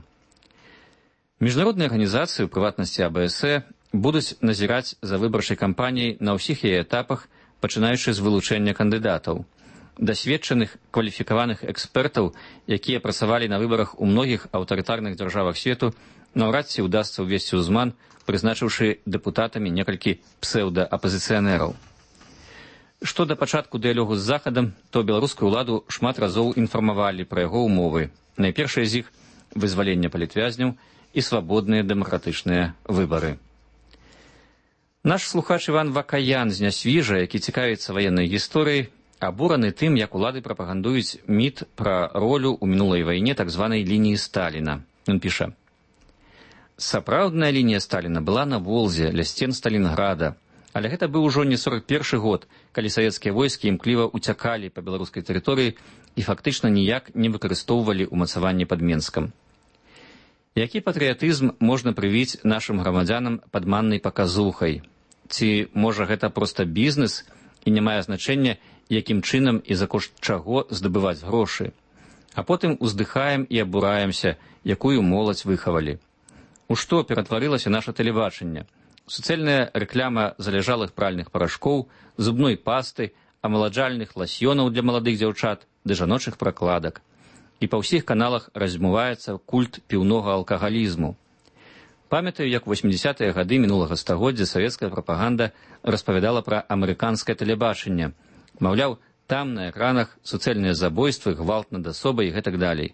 Міжнародныя арганізацыі, у прыватнасці АБС, будуць назіраць за выбарчай кампаніяй на ўсіх яе этапах, пачынаючы з вылучэння кандыдатаў. Дасведчаных, кваліфікаваных экспертаў, якія працавалі на выбарах у многіх аўтарытарных дзяржавах свету, наўрад ці ўдасца ўвесці ўзман, прызначыўшы дэпутатамі некалькі псеўдаапазіцыянераў. Што да пачатку дыялогу з Захадам, то беларускую ўладу шмат разоў інфармавалі пра яго ўмовы. Найпершыя з іх – вызваленне палітвязняў і свабодныя дэмакратычныя выбары. Наш слухач Іван Вакаян з Нясвіжа, які цікавіцца ваеннай гісторыяй, абураны тым, як улады прапагандуюць міт пра ролю ў мінулай вайне так званай лініі Сталіна. Ён піша: «Сапраўдная лінія Сталіна была на Волзе, ля сцен Сталінграда. Але гэта быў ужо не 41-й год, калі савецкія войскі імкліва уцякалі па беларускай тэрыторыі і фактычна ніяк не выкарыстоўвалі ўмацаванне пад Менскам. Які патрыятызм можна прывіць нашым грамадзянам падманнай паказухай? Ці, можа, гэта проста бізнес і не мае значэння, якім чынам і за кошт чаго здабываць грошы? А потым уздыхаем і абураемся, якую моладзь выхавалі. У што ператварылася наша тэлебачанне? Суцэльная рэкляма залежалых пральных парашкоў, зубной пасты, амаладжальных ласьёнаў для маладых дзяўчат ды жаночых пракладак. І па ўсіх каналах размываецца культ піўнога алкагалізму. Памятаю, як у 80-е гады мінулага стагоддзя савецкая прапаганда распавядала пра амерыканскае тэлебачанне. Маўляў, там на экранах суцэльныя забойствы, гвалт над асобай і гэтак далей.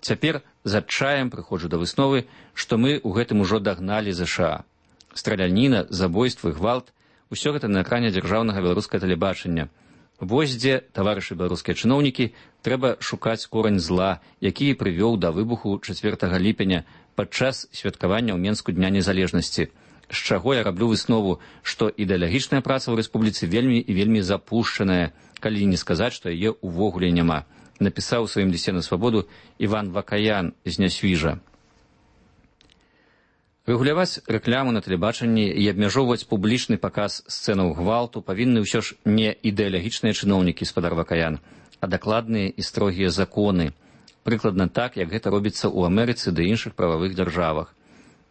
Цяпер з адчаем прыходжу да высновы, што мы ў гэтым ужо дагналі ЗША. Страляніна, забойствы, гвалт – усё гэта на экране дзяржаўнага беларускага тэлебачання. Вось дзе, таварышы беларускія чыноўнікі, трэба шукаць корань зла, які прывёў да выбуху 4 ліпеня падчас святкавання ў Менску Дня незалежнасці. З чаго я раблю выснову, што ідэалагічная праца ў рэспубліцы вельмі і вельмі запушчаная, калі не сказаць, што яе ўвогуле няма, напісаў у сваім лісце на свабоду Іван Вакаян з Нясвіжа. Рэгуляваць рэкляму на тэлебачанні і абмяжоўваць публічны паказ сцэнаў гвалту павінны ўсё ж не ідэалагічныя чыноўнікі, спадар Вакаян, а дакладныя і строгія законы. Прыкладна так, як гэта робіцца ў Амерыцы ды іншых прававых дзяржавах.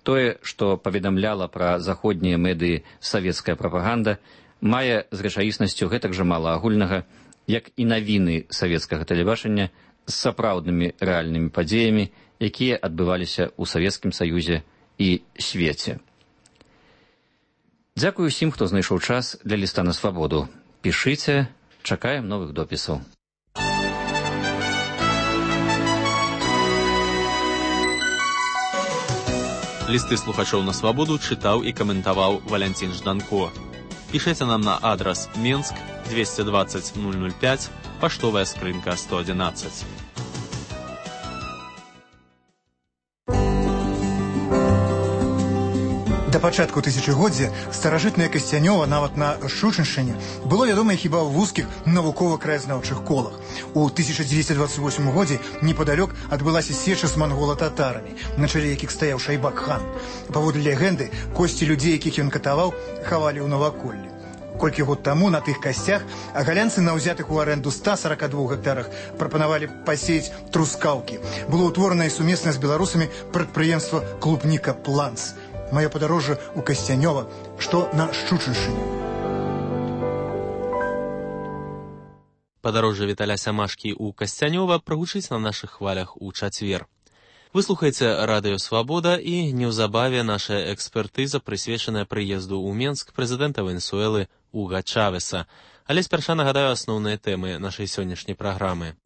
Тое, што паведамляла пра заходнія медыі савецкая прапаганда, мае з рэчаіснасцю гэтак жа мала агульнага, як і навіны савецкага тэлебачання з сапраўднымі рэальнымі падзеямі, якія адбываліся ў Савецкім Саюзе і свеце. Дзякую ўсім, хто знайшоў час для ліста на свабоду. Пішыце, чакаем новых допісаў. Лісты слухачоў на свабоду чытаў і каментаваў Валянцін Жданко. Пішыце нам на адрас Менск 220 005, паштовая скрынка 111. Да пачатку тысячагоддзя старажытнае Касцянёва нават на Шчучыншчыне было вядомае хіба ў вузкіх навукова-краязнаўчых колах. У 1928 годзе непадалёк адбылася сеча з мангола-татарамі, на чале якіх стаяў Шайбак-хан. Паводле легенды, косці людзей, якіх ён катаваў, хавалі ў наваколлі. Колькі год таму на тых касцях агалянцы на ўзятых у арэнду 142 гектарах прапанавалі пасеяць трускаўкі. Было ўтворана і сумесна з беларусамі прадпрыемства «Клубніка Планс». Маё падарожжа ў Касцянёва, што на Шчучыншчыне. Падарожжа Віталя Сямашкі ў Касцянёва прагучыць на нашых хвалях у чацвер. Вы слухаеце радыё «Свабода» і неўзабаве наша экспертыза, прысвечаная прыезду ў Менск прэзідэнта Венесуэлы Уга Чавеса. Але спярша нагадаю асноўныя тэмы нашай сённяшняй праграмы.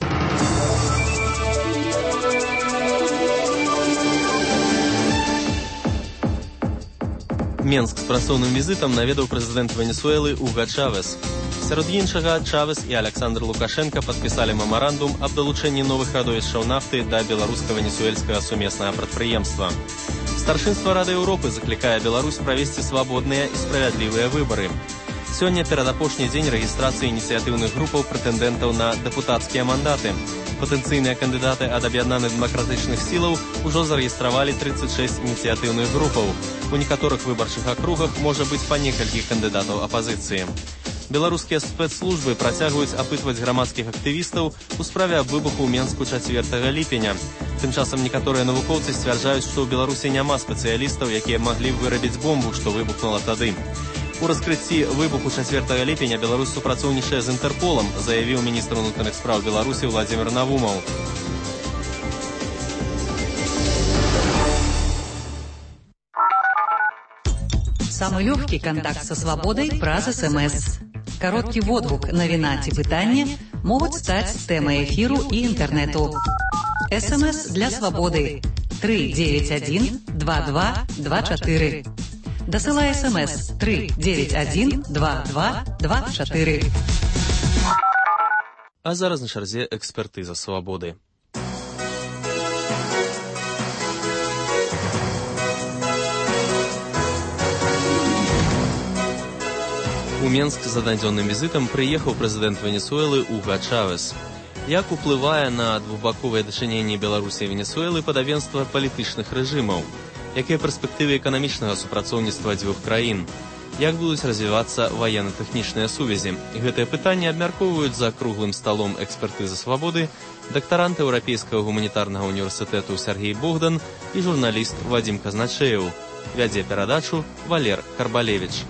Менск з працоўным візітам наведаў прэзідэнт Венесуэлы Уга Чавес. Сярод іншага, Чавес і Александр Лукашенка падпісалі мемарандум аб далучэнні новых радовішчаў нафты да беларуска-венесуэльскага сумеснага прадпрыемства. Старшынства Рады Еўропы заклікае Беларусь правесці свабодныя і справядлівыя выбары. Сёння перадапошні дзень рэгістрацыі ініцыятыўных групаў прэтэндэнтаў на дэпутацкія мандаты. Патэнцыйныя кандыдаты ад аб'яднаных дэмакратычных сілаў ужо зарэгістравалі 36 ініцыятыўных групаў. У некаторых выбарчых акругах можа быць па некалькі кандыдатаў апазіцыі. Беларускія спецслужбы працягваюць апытваць грамадскіх актывістаў у справе аб выбуху ў Менску 4 ліпеня. Тым часам некаторыя навукоўцы сцвярджаюць, што ў Беларусі няма спецыялістаў, якія маглі вырабіць бомбу, што выбухнула тады. У раскрыцці выбуху 4 ліпеня Беларусь супрацоўнічае з Інтэрполам, заявіў міністр унутраных спраў Беларусі Владзімір Навумаў. Самый легкий контакт со свободой праз СМС. Короткий водгук, навіна ці пытанне могуць стаць тэмай эфіру і інтэрнэту. СМС для свободы 391-2224. Дасылай СМС 391-2224. А зараз на чарзе экспертыза свабоды. У Менск з аднадзённым візітам прыехаў прэзідэнт Венесуэлы Уга Чавес. Як уплывае на двухбаковыя дачыненні Беларусі і Венесуэлы падабенства палітычных рэжымаў? Якія перспектывы эканамічнага супрацоўніцтва дзвюх краін? Як будуць развівацца ваенна-тэхнічныя сувязі? Гэтыя пытанні абмяркоўваюць за круглым сталом экспертызы свабоды дактарант Еўрапейскага гуманітарнага універсітэту Сергей Богдан і журналіст Вадзім Казначеў. Вядзе перадачу Валер Карбалевіч.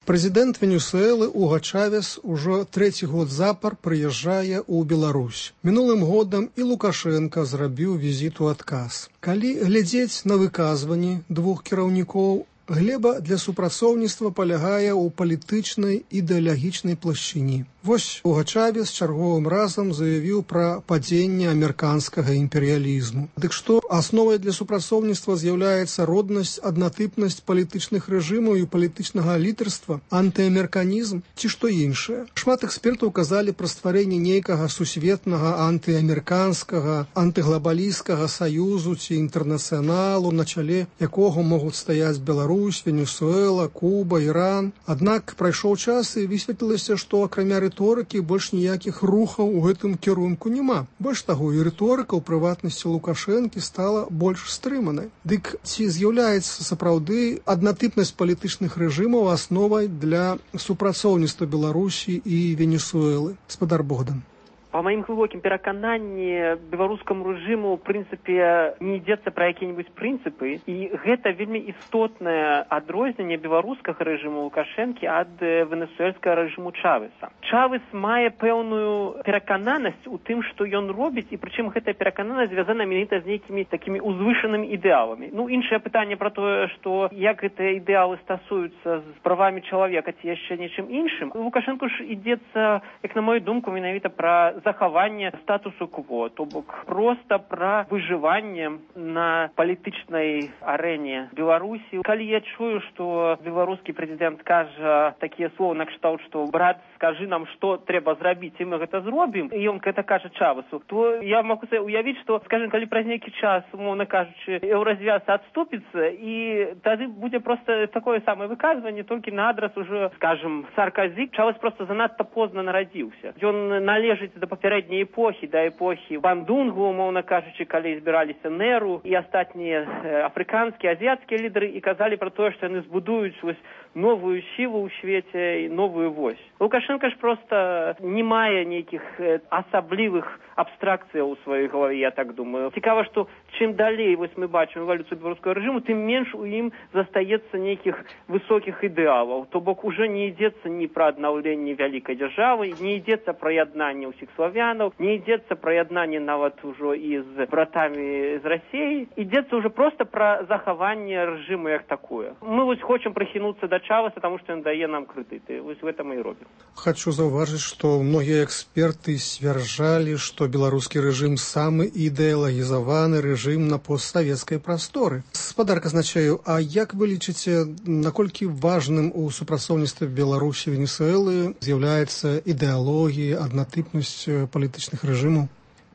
Прэзідэнт Венесуэлы Уга Чавес ужо 3-й год запар прыязджае ў Беларусь. Мінулым годам і Лукашенка зрабіў візіт у адказ. Калі глядзець на выказванні двух кіраўнікоў, глеба для супрацоўніцтва палягае ў палітычнай ідэалагічнай плашчыні. Вось Уга Чавес чарговым разам заявіў пра падзенне амерыканскага імперыялізму. Дык што асновай для супрацоўніцтва з'яўляецца роднасць, аднатыпнасць палітычных рэжымаў і палітычнага лідарства, антыамерыканізм ці што іншае. Шмат экспертаў казалі пра стварэнне нейкага сусветнага антыамерыканскага, антыглабалісцкага саюзу ці інтэрнацыяналу, на чале якога могуць стаяць Беларусь, Венесуэла, Куба, Іран. Аднак прайшоў час і высветлілася, што акрамя рыторыкі больш ніякіх рухаў у гэтым кірунку няма. Больш таго, і рыторыка ў прыватнасці Лукашэнкі стала больш стрыманай. Дык ці з'яўляецца сапраўды аднатыпнасць палітычных рэжымаў асновай для супрацоўніцтва Беларусі і Венесуэлы? Спадар Богдан. По маім глыбокім перакананні, беларускаму рэжыму, ў прынцыпе, не ідзецца пра якія-небудзь прынцыпы, і гэта вельмі істотнае адрозненне беларускага рэжыму Лукашэнкі ад венесуэльскага рэжыму Чавеса. Чавес мае пэўную перакананасць у тым, што ён робіць, і прычым гэтая перакананасць звязана менавіта з нейкімі такімі узвышанымі ідэаламі. Ну, іншае пытанне пра тое, што як гэтыя ідэалы стасуюцца з правамі чалавека ці яшчэ нечым іншым. Лукашэнку ж ідзецца, як на мою думку, менавіта пра захаванне статусу-кво, то бок проста пра выжыванне на палітычнай арэне Беларусі. Калі я чую, што беларускі прэзідэнт кажа такія словы накшталт, што брат, скажы нам, што трэба зрабіць, і мы гэта зробім, і ён гэта кажа Чавесу, то я могу уявіць, што, скажем, калі праз нейкі час, умоўна кажучы, еўразвяз адступіцца, і тады будзе проста такое самае выказванне, толькі на адрас уже, скажем, Саркозі. Чавес просто занадта позна нарадзіўся. Ён належыць да папярэдняй эпохі, да эпохі Бандунгу, умоўна кажучы, калі збіраліся Неру і астатнія афрыканскія, азіяцкія лідары і казалі пра тое, што яны збудуюць новую сілу ў свеце і новую вось. Лукашенко ж просто не мае нейкіх асаблівых абстракцыяў у сваёй галаве, я так думаю. Цікава, што чым далей мы бачым эвалюцыю беларускага рэжыму, тым менш у ім застаецца нейкіх высокіх ідэалаў. То бок уже не ідзецца ні пра аднаўленне вялікай дзяржавы, не ідзецца пра яднанне ўсіх славянаў, не ідзецца пра яднанне нават ужо і з братамі з Расіі. Ідзецца уже просто пра захаванне рэжыму як такое. Мы хочам прыхінуцца да Чавеса, таму што ён дае нам крэдыты. Гэта мы і робім. Хочу заўважыць, што многія эксперты сцвярджалі, што беларускі рэжым самы ідэалагізаваны рэжым на постсавецкай прасторы. Спадар казначею, а як вы лічыце, наколькі важным у супрацоўніцтве Беларусі і Венесуэлы з'яўляецца ідэалогія, аднатыпнасць палітычных рэжымаў?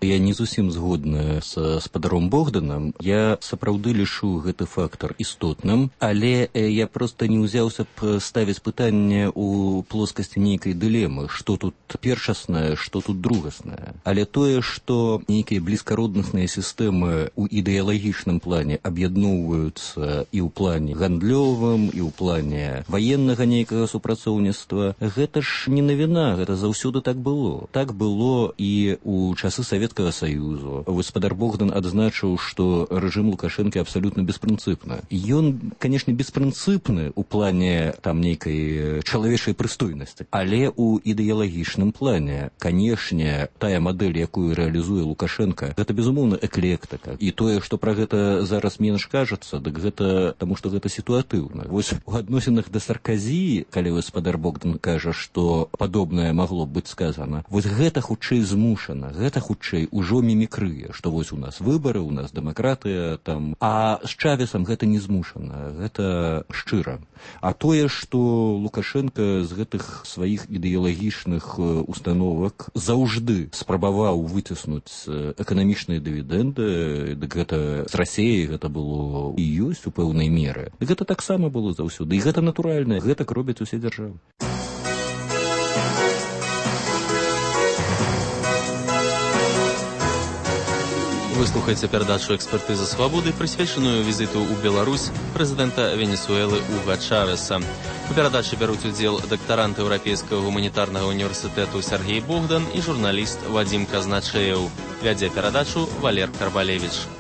Я не зусім згодна са спадаром Богданам. Я сапраўды лічу гэты фактар істотным, але я проста не ўзяўся б ставіць пытанне ў плоскасці нейкай дылемы, што тут першаснае, што тут другаснае. Але тое, што нейкія блізкароднасныя сістэмы ў ідэалагічным плане аб'ядноўваюцца і ў плане гандлёвым, і ў плане ваеннага нейкага супрацоўніцтва, гэта ж не навіна, гэта заўсёды так было. Так было і ў часы Савецкага Союзу. Гаспадар Богдан адзначыў, што рэжым Лукашэнкі абсалютна беспрынцыпны. Ён, канешне, беспрынцыпны ў плане там нейкай чалавечай прыстойнасці, але ў ідэалагічным плане, канешне, тая мадэль, якую рэалізуе Лукашенко, гэта безумоўна эклектыка. І тое, што пра гэта зараз менш кажацца, дык гэта таму, што гэта сітуатыўна. Вось у адносінах да Саркозі, калі гаспадар Богдан кажа, што падобнае магло б быць сказана, вось гэта хутчэй змушана, гэта хутчэй ужо мімікрыя, што вось у нас выбары, у нас дэмакратыя, там, а з Чавесам гэта не змушана, гэта шчыра. А тое, што Лукашенко з гэтых сваіх ідэалагічных установак заўжды спрабаваў выціснуць эканамічныя дывідэнды, дык гэта з Расіяй гэта было і ёсць у пэўнай меры. Дык гэта таксама было заўсёды, і гэта натуральна, гэтак робяць усе дзяржавы. Выслухайце перадачу «Экспертыза свабоды», прысвечаную візіту ў Беларусь прэзідэнта Венесуэлы Уга Чавеса. У перадачы бяруць удзел дактарант Еўрапейскага гуманітарнага універсітэту Сергей Богдан і журналіст Вадзім Казначеў. Вядзе перадачу Валер Карбалевіч.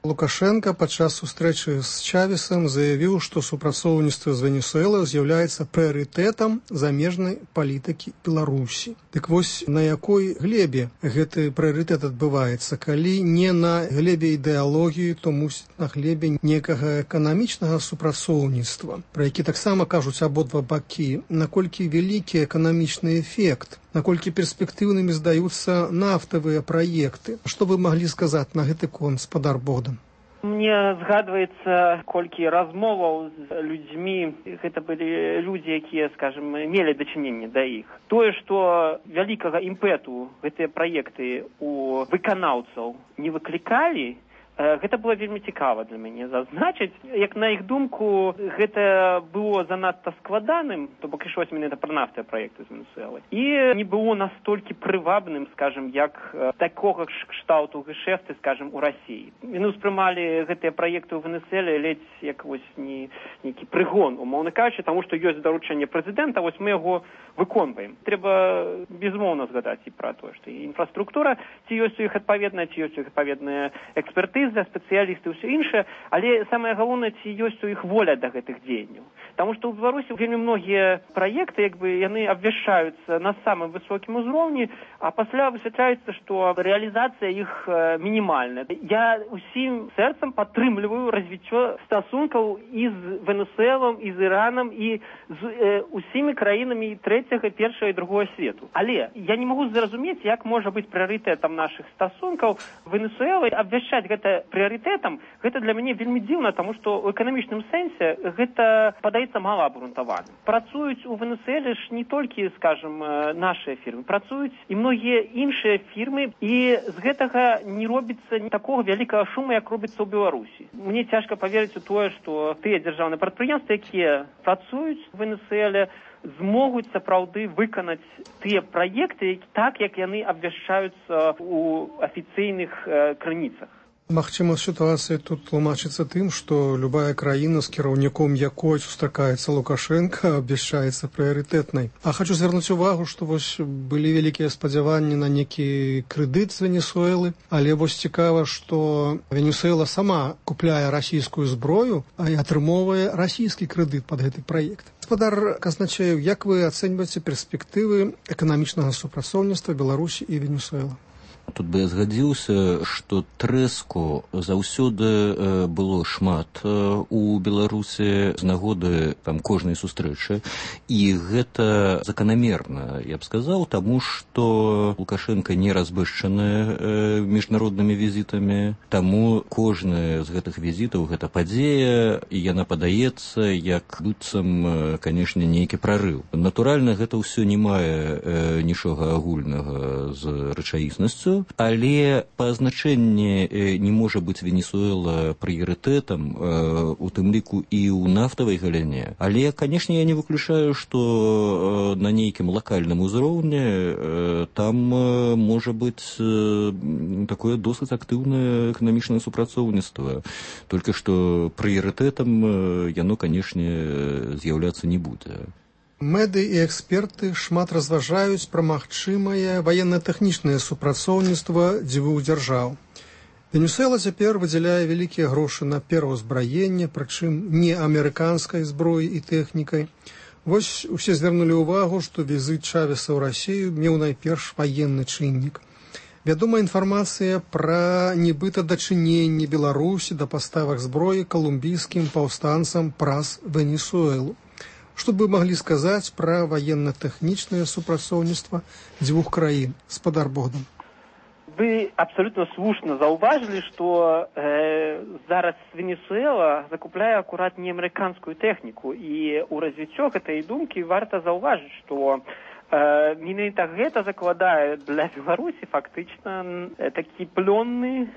Лукашенко падчас сустрэчы з Чавесам заявіў, што супрацоўніцтва з Венесуэлай з'яўляецца прыярытэтам замежнай палітыкі Беларусі. Дык вось на якой глебе гэты прыярытэт адбываецца? Калі не на глебе ідэалогіі, то мусіць на глебе некага эканамічнага супрацоўніцтва, пра які таксама кажуць абодва бакі, наколькі вялікі эканамічны эфект, наколькі перспектыўнымі здаюцца нафтавыя праекты. Што вы маглі сказаць на гэты конт, спадар Богдан? Мне згадваецца колькі размоваў з людзьмі, гэта былі людзі, якія, скажем, мелі дачыненне да іх. Тое, што вялікага імпэту гэтыя праекты у выканаўцаў не выклікалі, гэта было вельмі цікава для мяне зазначыць. Як на іх думку, гэта было занадта складаным, то бок ішлося менавіта пра нафтавыя праекты з Венесуэлай. І не было настолькі прывабным, скажем, як такога кшталту гешэфты, скажем, у Расіі. Яны ўспрымалі гэтыя праекты ў Венесуэле ледзь як вось нейкі прыгон, умоўна кажучы, таму што ёсць даручэнне прэзідэнта, вось мы яго выконваем. Трэба безумоўна згадаць і пра тое, што і інфраструктура, ці ёсць у іх адпаведная, ці ёсць у іх адпаведная экспертыза, экспертыза, спецыялісты, ўсё іншае, але самае галоўнае, ці ёсць у іх воля да гэтых дзеянняў. Таму што ў Беларусі вельмі многія праекты, яны абвяшчаюцца на самым высокім узроўні, а пасля высвятляецца, што рэалізацыя іх мінімальная. Я усім сэрцам падтрымліваю развіццё стасункаў і з Венесуэлам, і з Іранам, і з усімі краінамі трэцяга, першага і другога свету. Але я не магу зразумець, як можа быць прыярытэтам нашых стасункаў Венесуэлы. Абвяшчаць гэта прыярытэтам, гэта для мяне вельмі дзіўна, таму што ў эканамічным сэнсе гэта падаецца мала абгрунтаваным. Працуюць у Венесуэле ж не толькі, скажем, нашыя фірмы, працуюць і многія іншыя фірмы, і з гэтага не робіцца такога вялікага шуму, як робіцца ў Беларусі. Мне цяжка паверыць у тое, што тыя дзяржаўныя прадпрыемствы, якія працуюць у Венесуэле, змогуць сапраўды выканаць тыя праекты так, як яны абвяшчаюцца ў афіцыйных крыніцах. Магчыма, сітуацыя тут тлумачыцца тым, што любая краіна, з кіраўніком якой сустракаецца Лукашенка, абвяшчаецца прыярытэтнай. А хочу звярнуць увагу, што вось былі вялікія спадзяванні на некі крэдыт з Венесуэлы, але вось цікава, што Венесуэла сама купляе расійскую зброю, а і атрымоўвае расійскі крэдыт пад гэты праект. Гаспадар Казначеев, як вы ацэньваеце перспектывы эканамічнага супрацоўніцтва Беларусі і Венесуэлы? Тут бы я згадзіўся, што трэску заўсёды было шмат у Беларусі з нагоды кожнай сустрэчы, і гэта заканамерна, я б сказаў, таму што Лукашенко не разбэшчаны міжнароднымі візітамі, таму кожны з гэтых візітаў гэта падзея, і яна падаецца як быццам, канешне, нейкі прарыў. Натуральна, гэта ўсё не мае нічога агульнага з рэчаіснасцю, але па значэнні не можа быць Венесуэла прыярытэтам, у тым ліку і ў нафтавай галіне. Але, канешне, я не выключаю, што на нейкім лакальным узроўні там можа быць такое досыць актыўнае эканамічнае супрацоўніцтва. Толькі што прыярытэтам яно, канешне, з'яўляцца не будзе. Мэды і эксперты шмат разважаюць пра магчымае ваенна-тэхнічнае супрацоўніцтва дзвюх дзяржаў. Венесуэла цяпер выдзяляе вялікія грошы на пераўзбраенне, прычым не амерыканскай зброі і тэхнікай. Вось усе звярнулі ўвагу, што візіт Чавеса ў Расію меў найперш ваенны чыннік. Вядома інфармацыя пра нібыта дачыненне Беларусі да паставак зброі калумбійскім паўстанцам праз Венесуэлу. Што бы маглі сказаць пра ваенна-тэхнічнае супрацоўніцтва дзвюх краін, гаспадар Богдан? Вы абсолютно слушно заўважылі, што зараз Венесуэла закупляе акурат не амерыканскую тэхніку, і ў развіццё гэтай думкі варта заўважыць, што менавіта гэта закладае для Беларусі фактычна такі плённы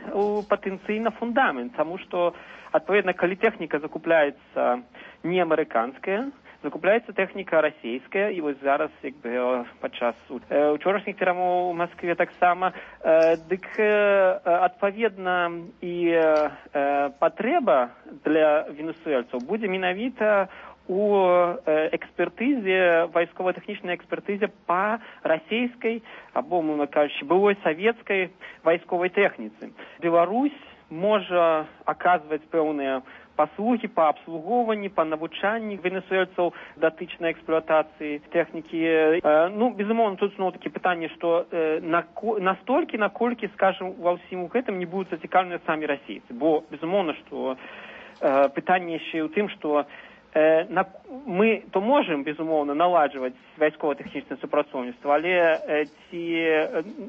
патэнцыйна фундамент, таму што, адпаведна, калі тэхніка закупляецца не амерыканская, закупляецца тэхніка расійская, і вось зараз, як бы падчас учорашніх перамоў у Маскве таксама, дык адпаведна і патрэба для венесуэльцаў будзе менавіта у экспертызе, вайсково-тэхнічнай экспертызе па расійскай або, мовна кажучы, былой савецкай вайсковай тэхніцы. Беларусь можа аказваць пэўныя паслугі па абслугоўванні, па навучанні венесуэльцаў датычнай эксплуатацыі тэхнікі. Безумоўна, тут зноў-такі пытанне, што настолькі, наколькі, скажем, ва ўсім гэтым не будуць зацікаўлены самі расійцы. Бо, безумоўна, што пытанне яшчэ ў тым, што мы то можам, безумоўна, наладжваць вайсково-тэхнічнае супрацоўніцтва, але ці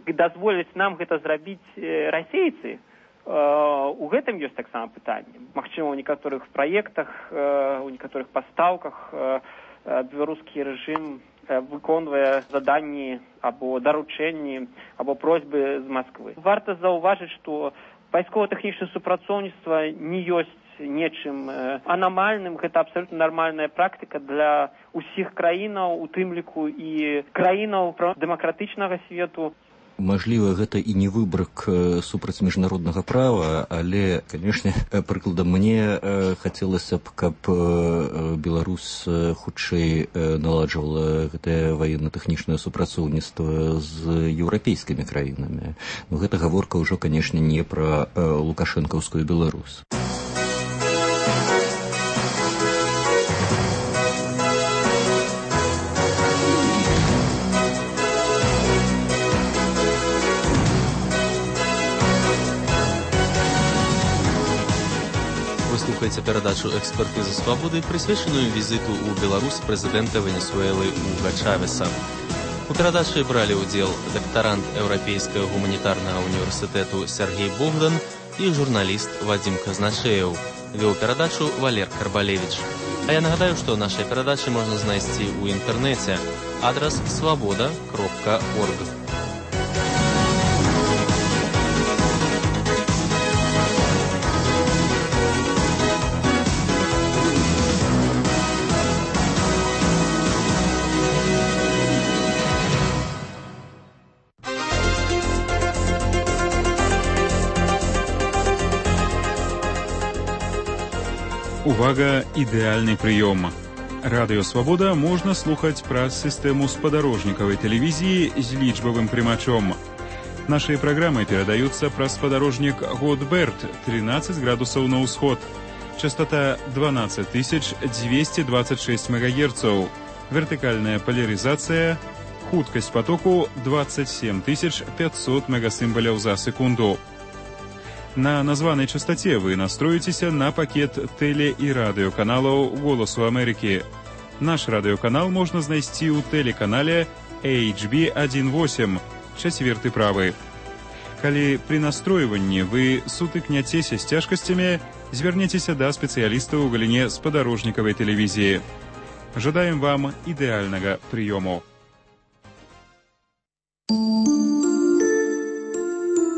дазволяць нам гэта зрабіць расейцы, у гэтым ёсць таксама пытанне. Магчыма, у некаторых праектах, у некаторых пастаўках беларускі рэжым выконвае заданні або даручэнні, або просьбы з Масквы. Варта заўважыць, што вайсково-тэхнічнае супрацоўніцтва не ёсць нечым анамальным, гэта абсалютна нармальная практыка для ўсіх краінаў, у тым ліку і краінаў дэмакратычнага свету. Мажліва, гэта і не выбрак супраць міжнароднага права, але, канешне, прыкладам, мне хацелася б, каб Беларусь хутчэй наладжвала гэтае ваенна-тэхнічнае супрацоўніцтва з еўрапейскімі краінамі. Но гэта гаворка ўжо, канешне, не пра лукашэнкаўскую Беларусь. Слухайте передачу «Экспертиза свободы», присвященную визиту у Беларусь президента Венесуэлы Уга Чавеса. У передаче брали удел докторант Европейского гуманитарного университета Сергей Богдан и журналист Вадим Казначеев. Вел передачу Валер Карбалевич. А я нагадаю, что наши передачи можно найти у интернете. Адрес svoboda.org. Увага, ідэальны прыём. Радыё Свабода можна слухаць праз сістэму спадарожнікавай тэлевізіі з лічбавым прымачом. Нашыя праграмы перадаюцца праз спадарожнік Годберт 13 градусаў на ўсход. Частота 12226 МГц. Вертыкальная поляризация. Хуткасць потоку 27500 мегасімбаляў за секунду. На названай частоце вы настроіцеся на пакет тэле- і радыёканалаў «Голасу Амерыкі». Наш радыёканал можна знайсці ў тэлеканале HB18, 4 правы. Калі пры настройванні вы сутыкняцеся з цяжкасцямі, звярніцеся да спецыялістаў у галіне спадарожнікавай тэлевізіі. Жадаем вам ідэальнага прыёму.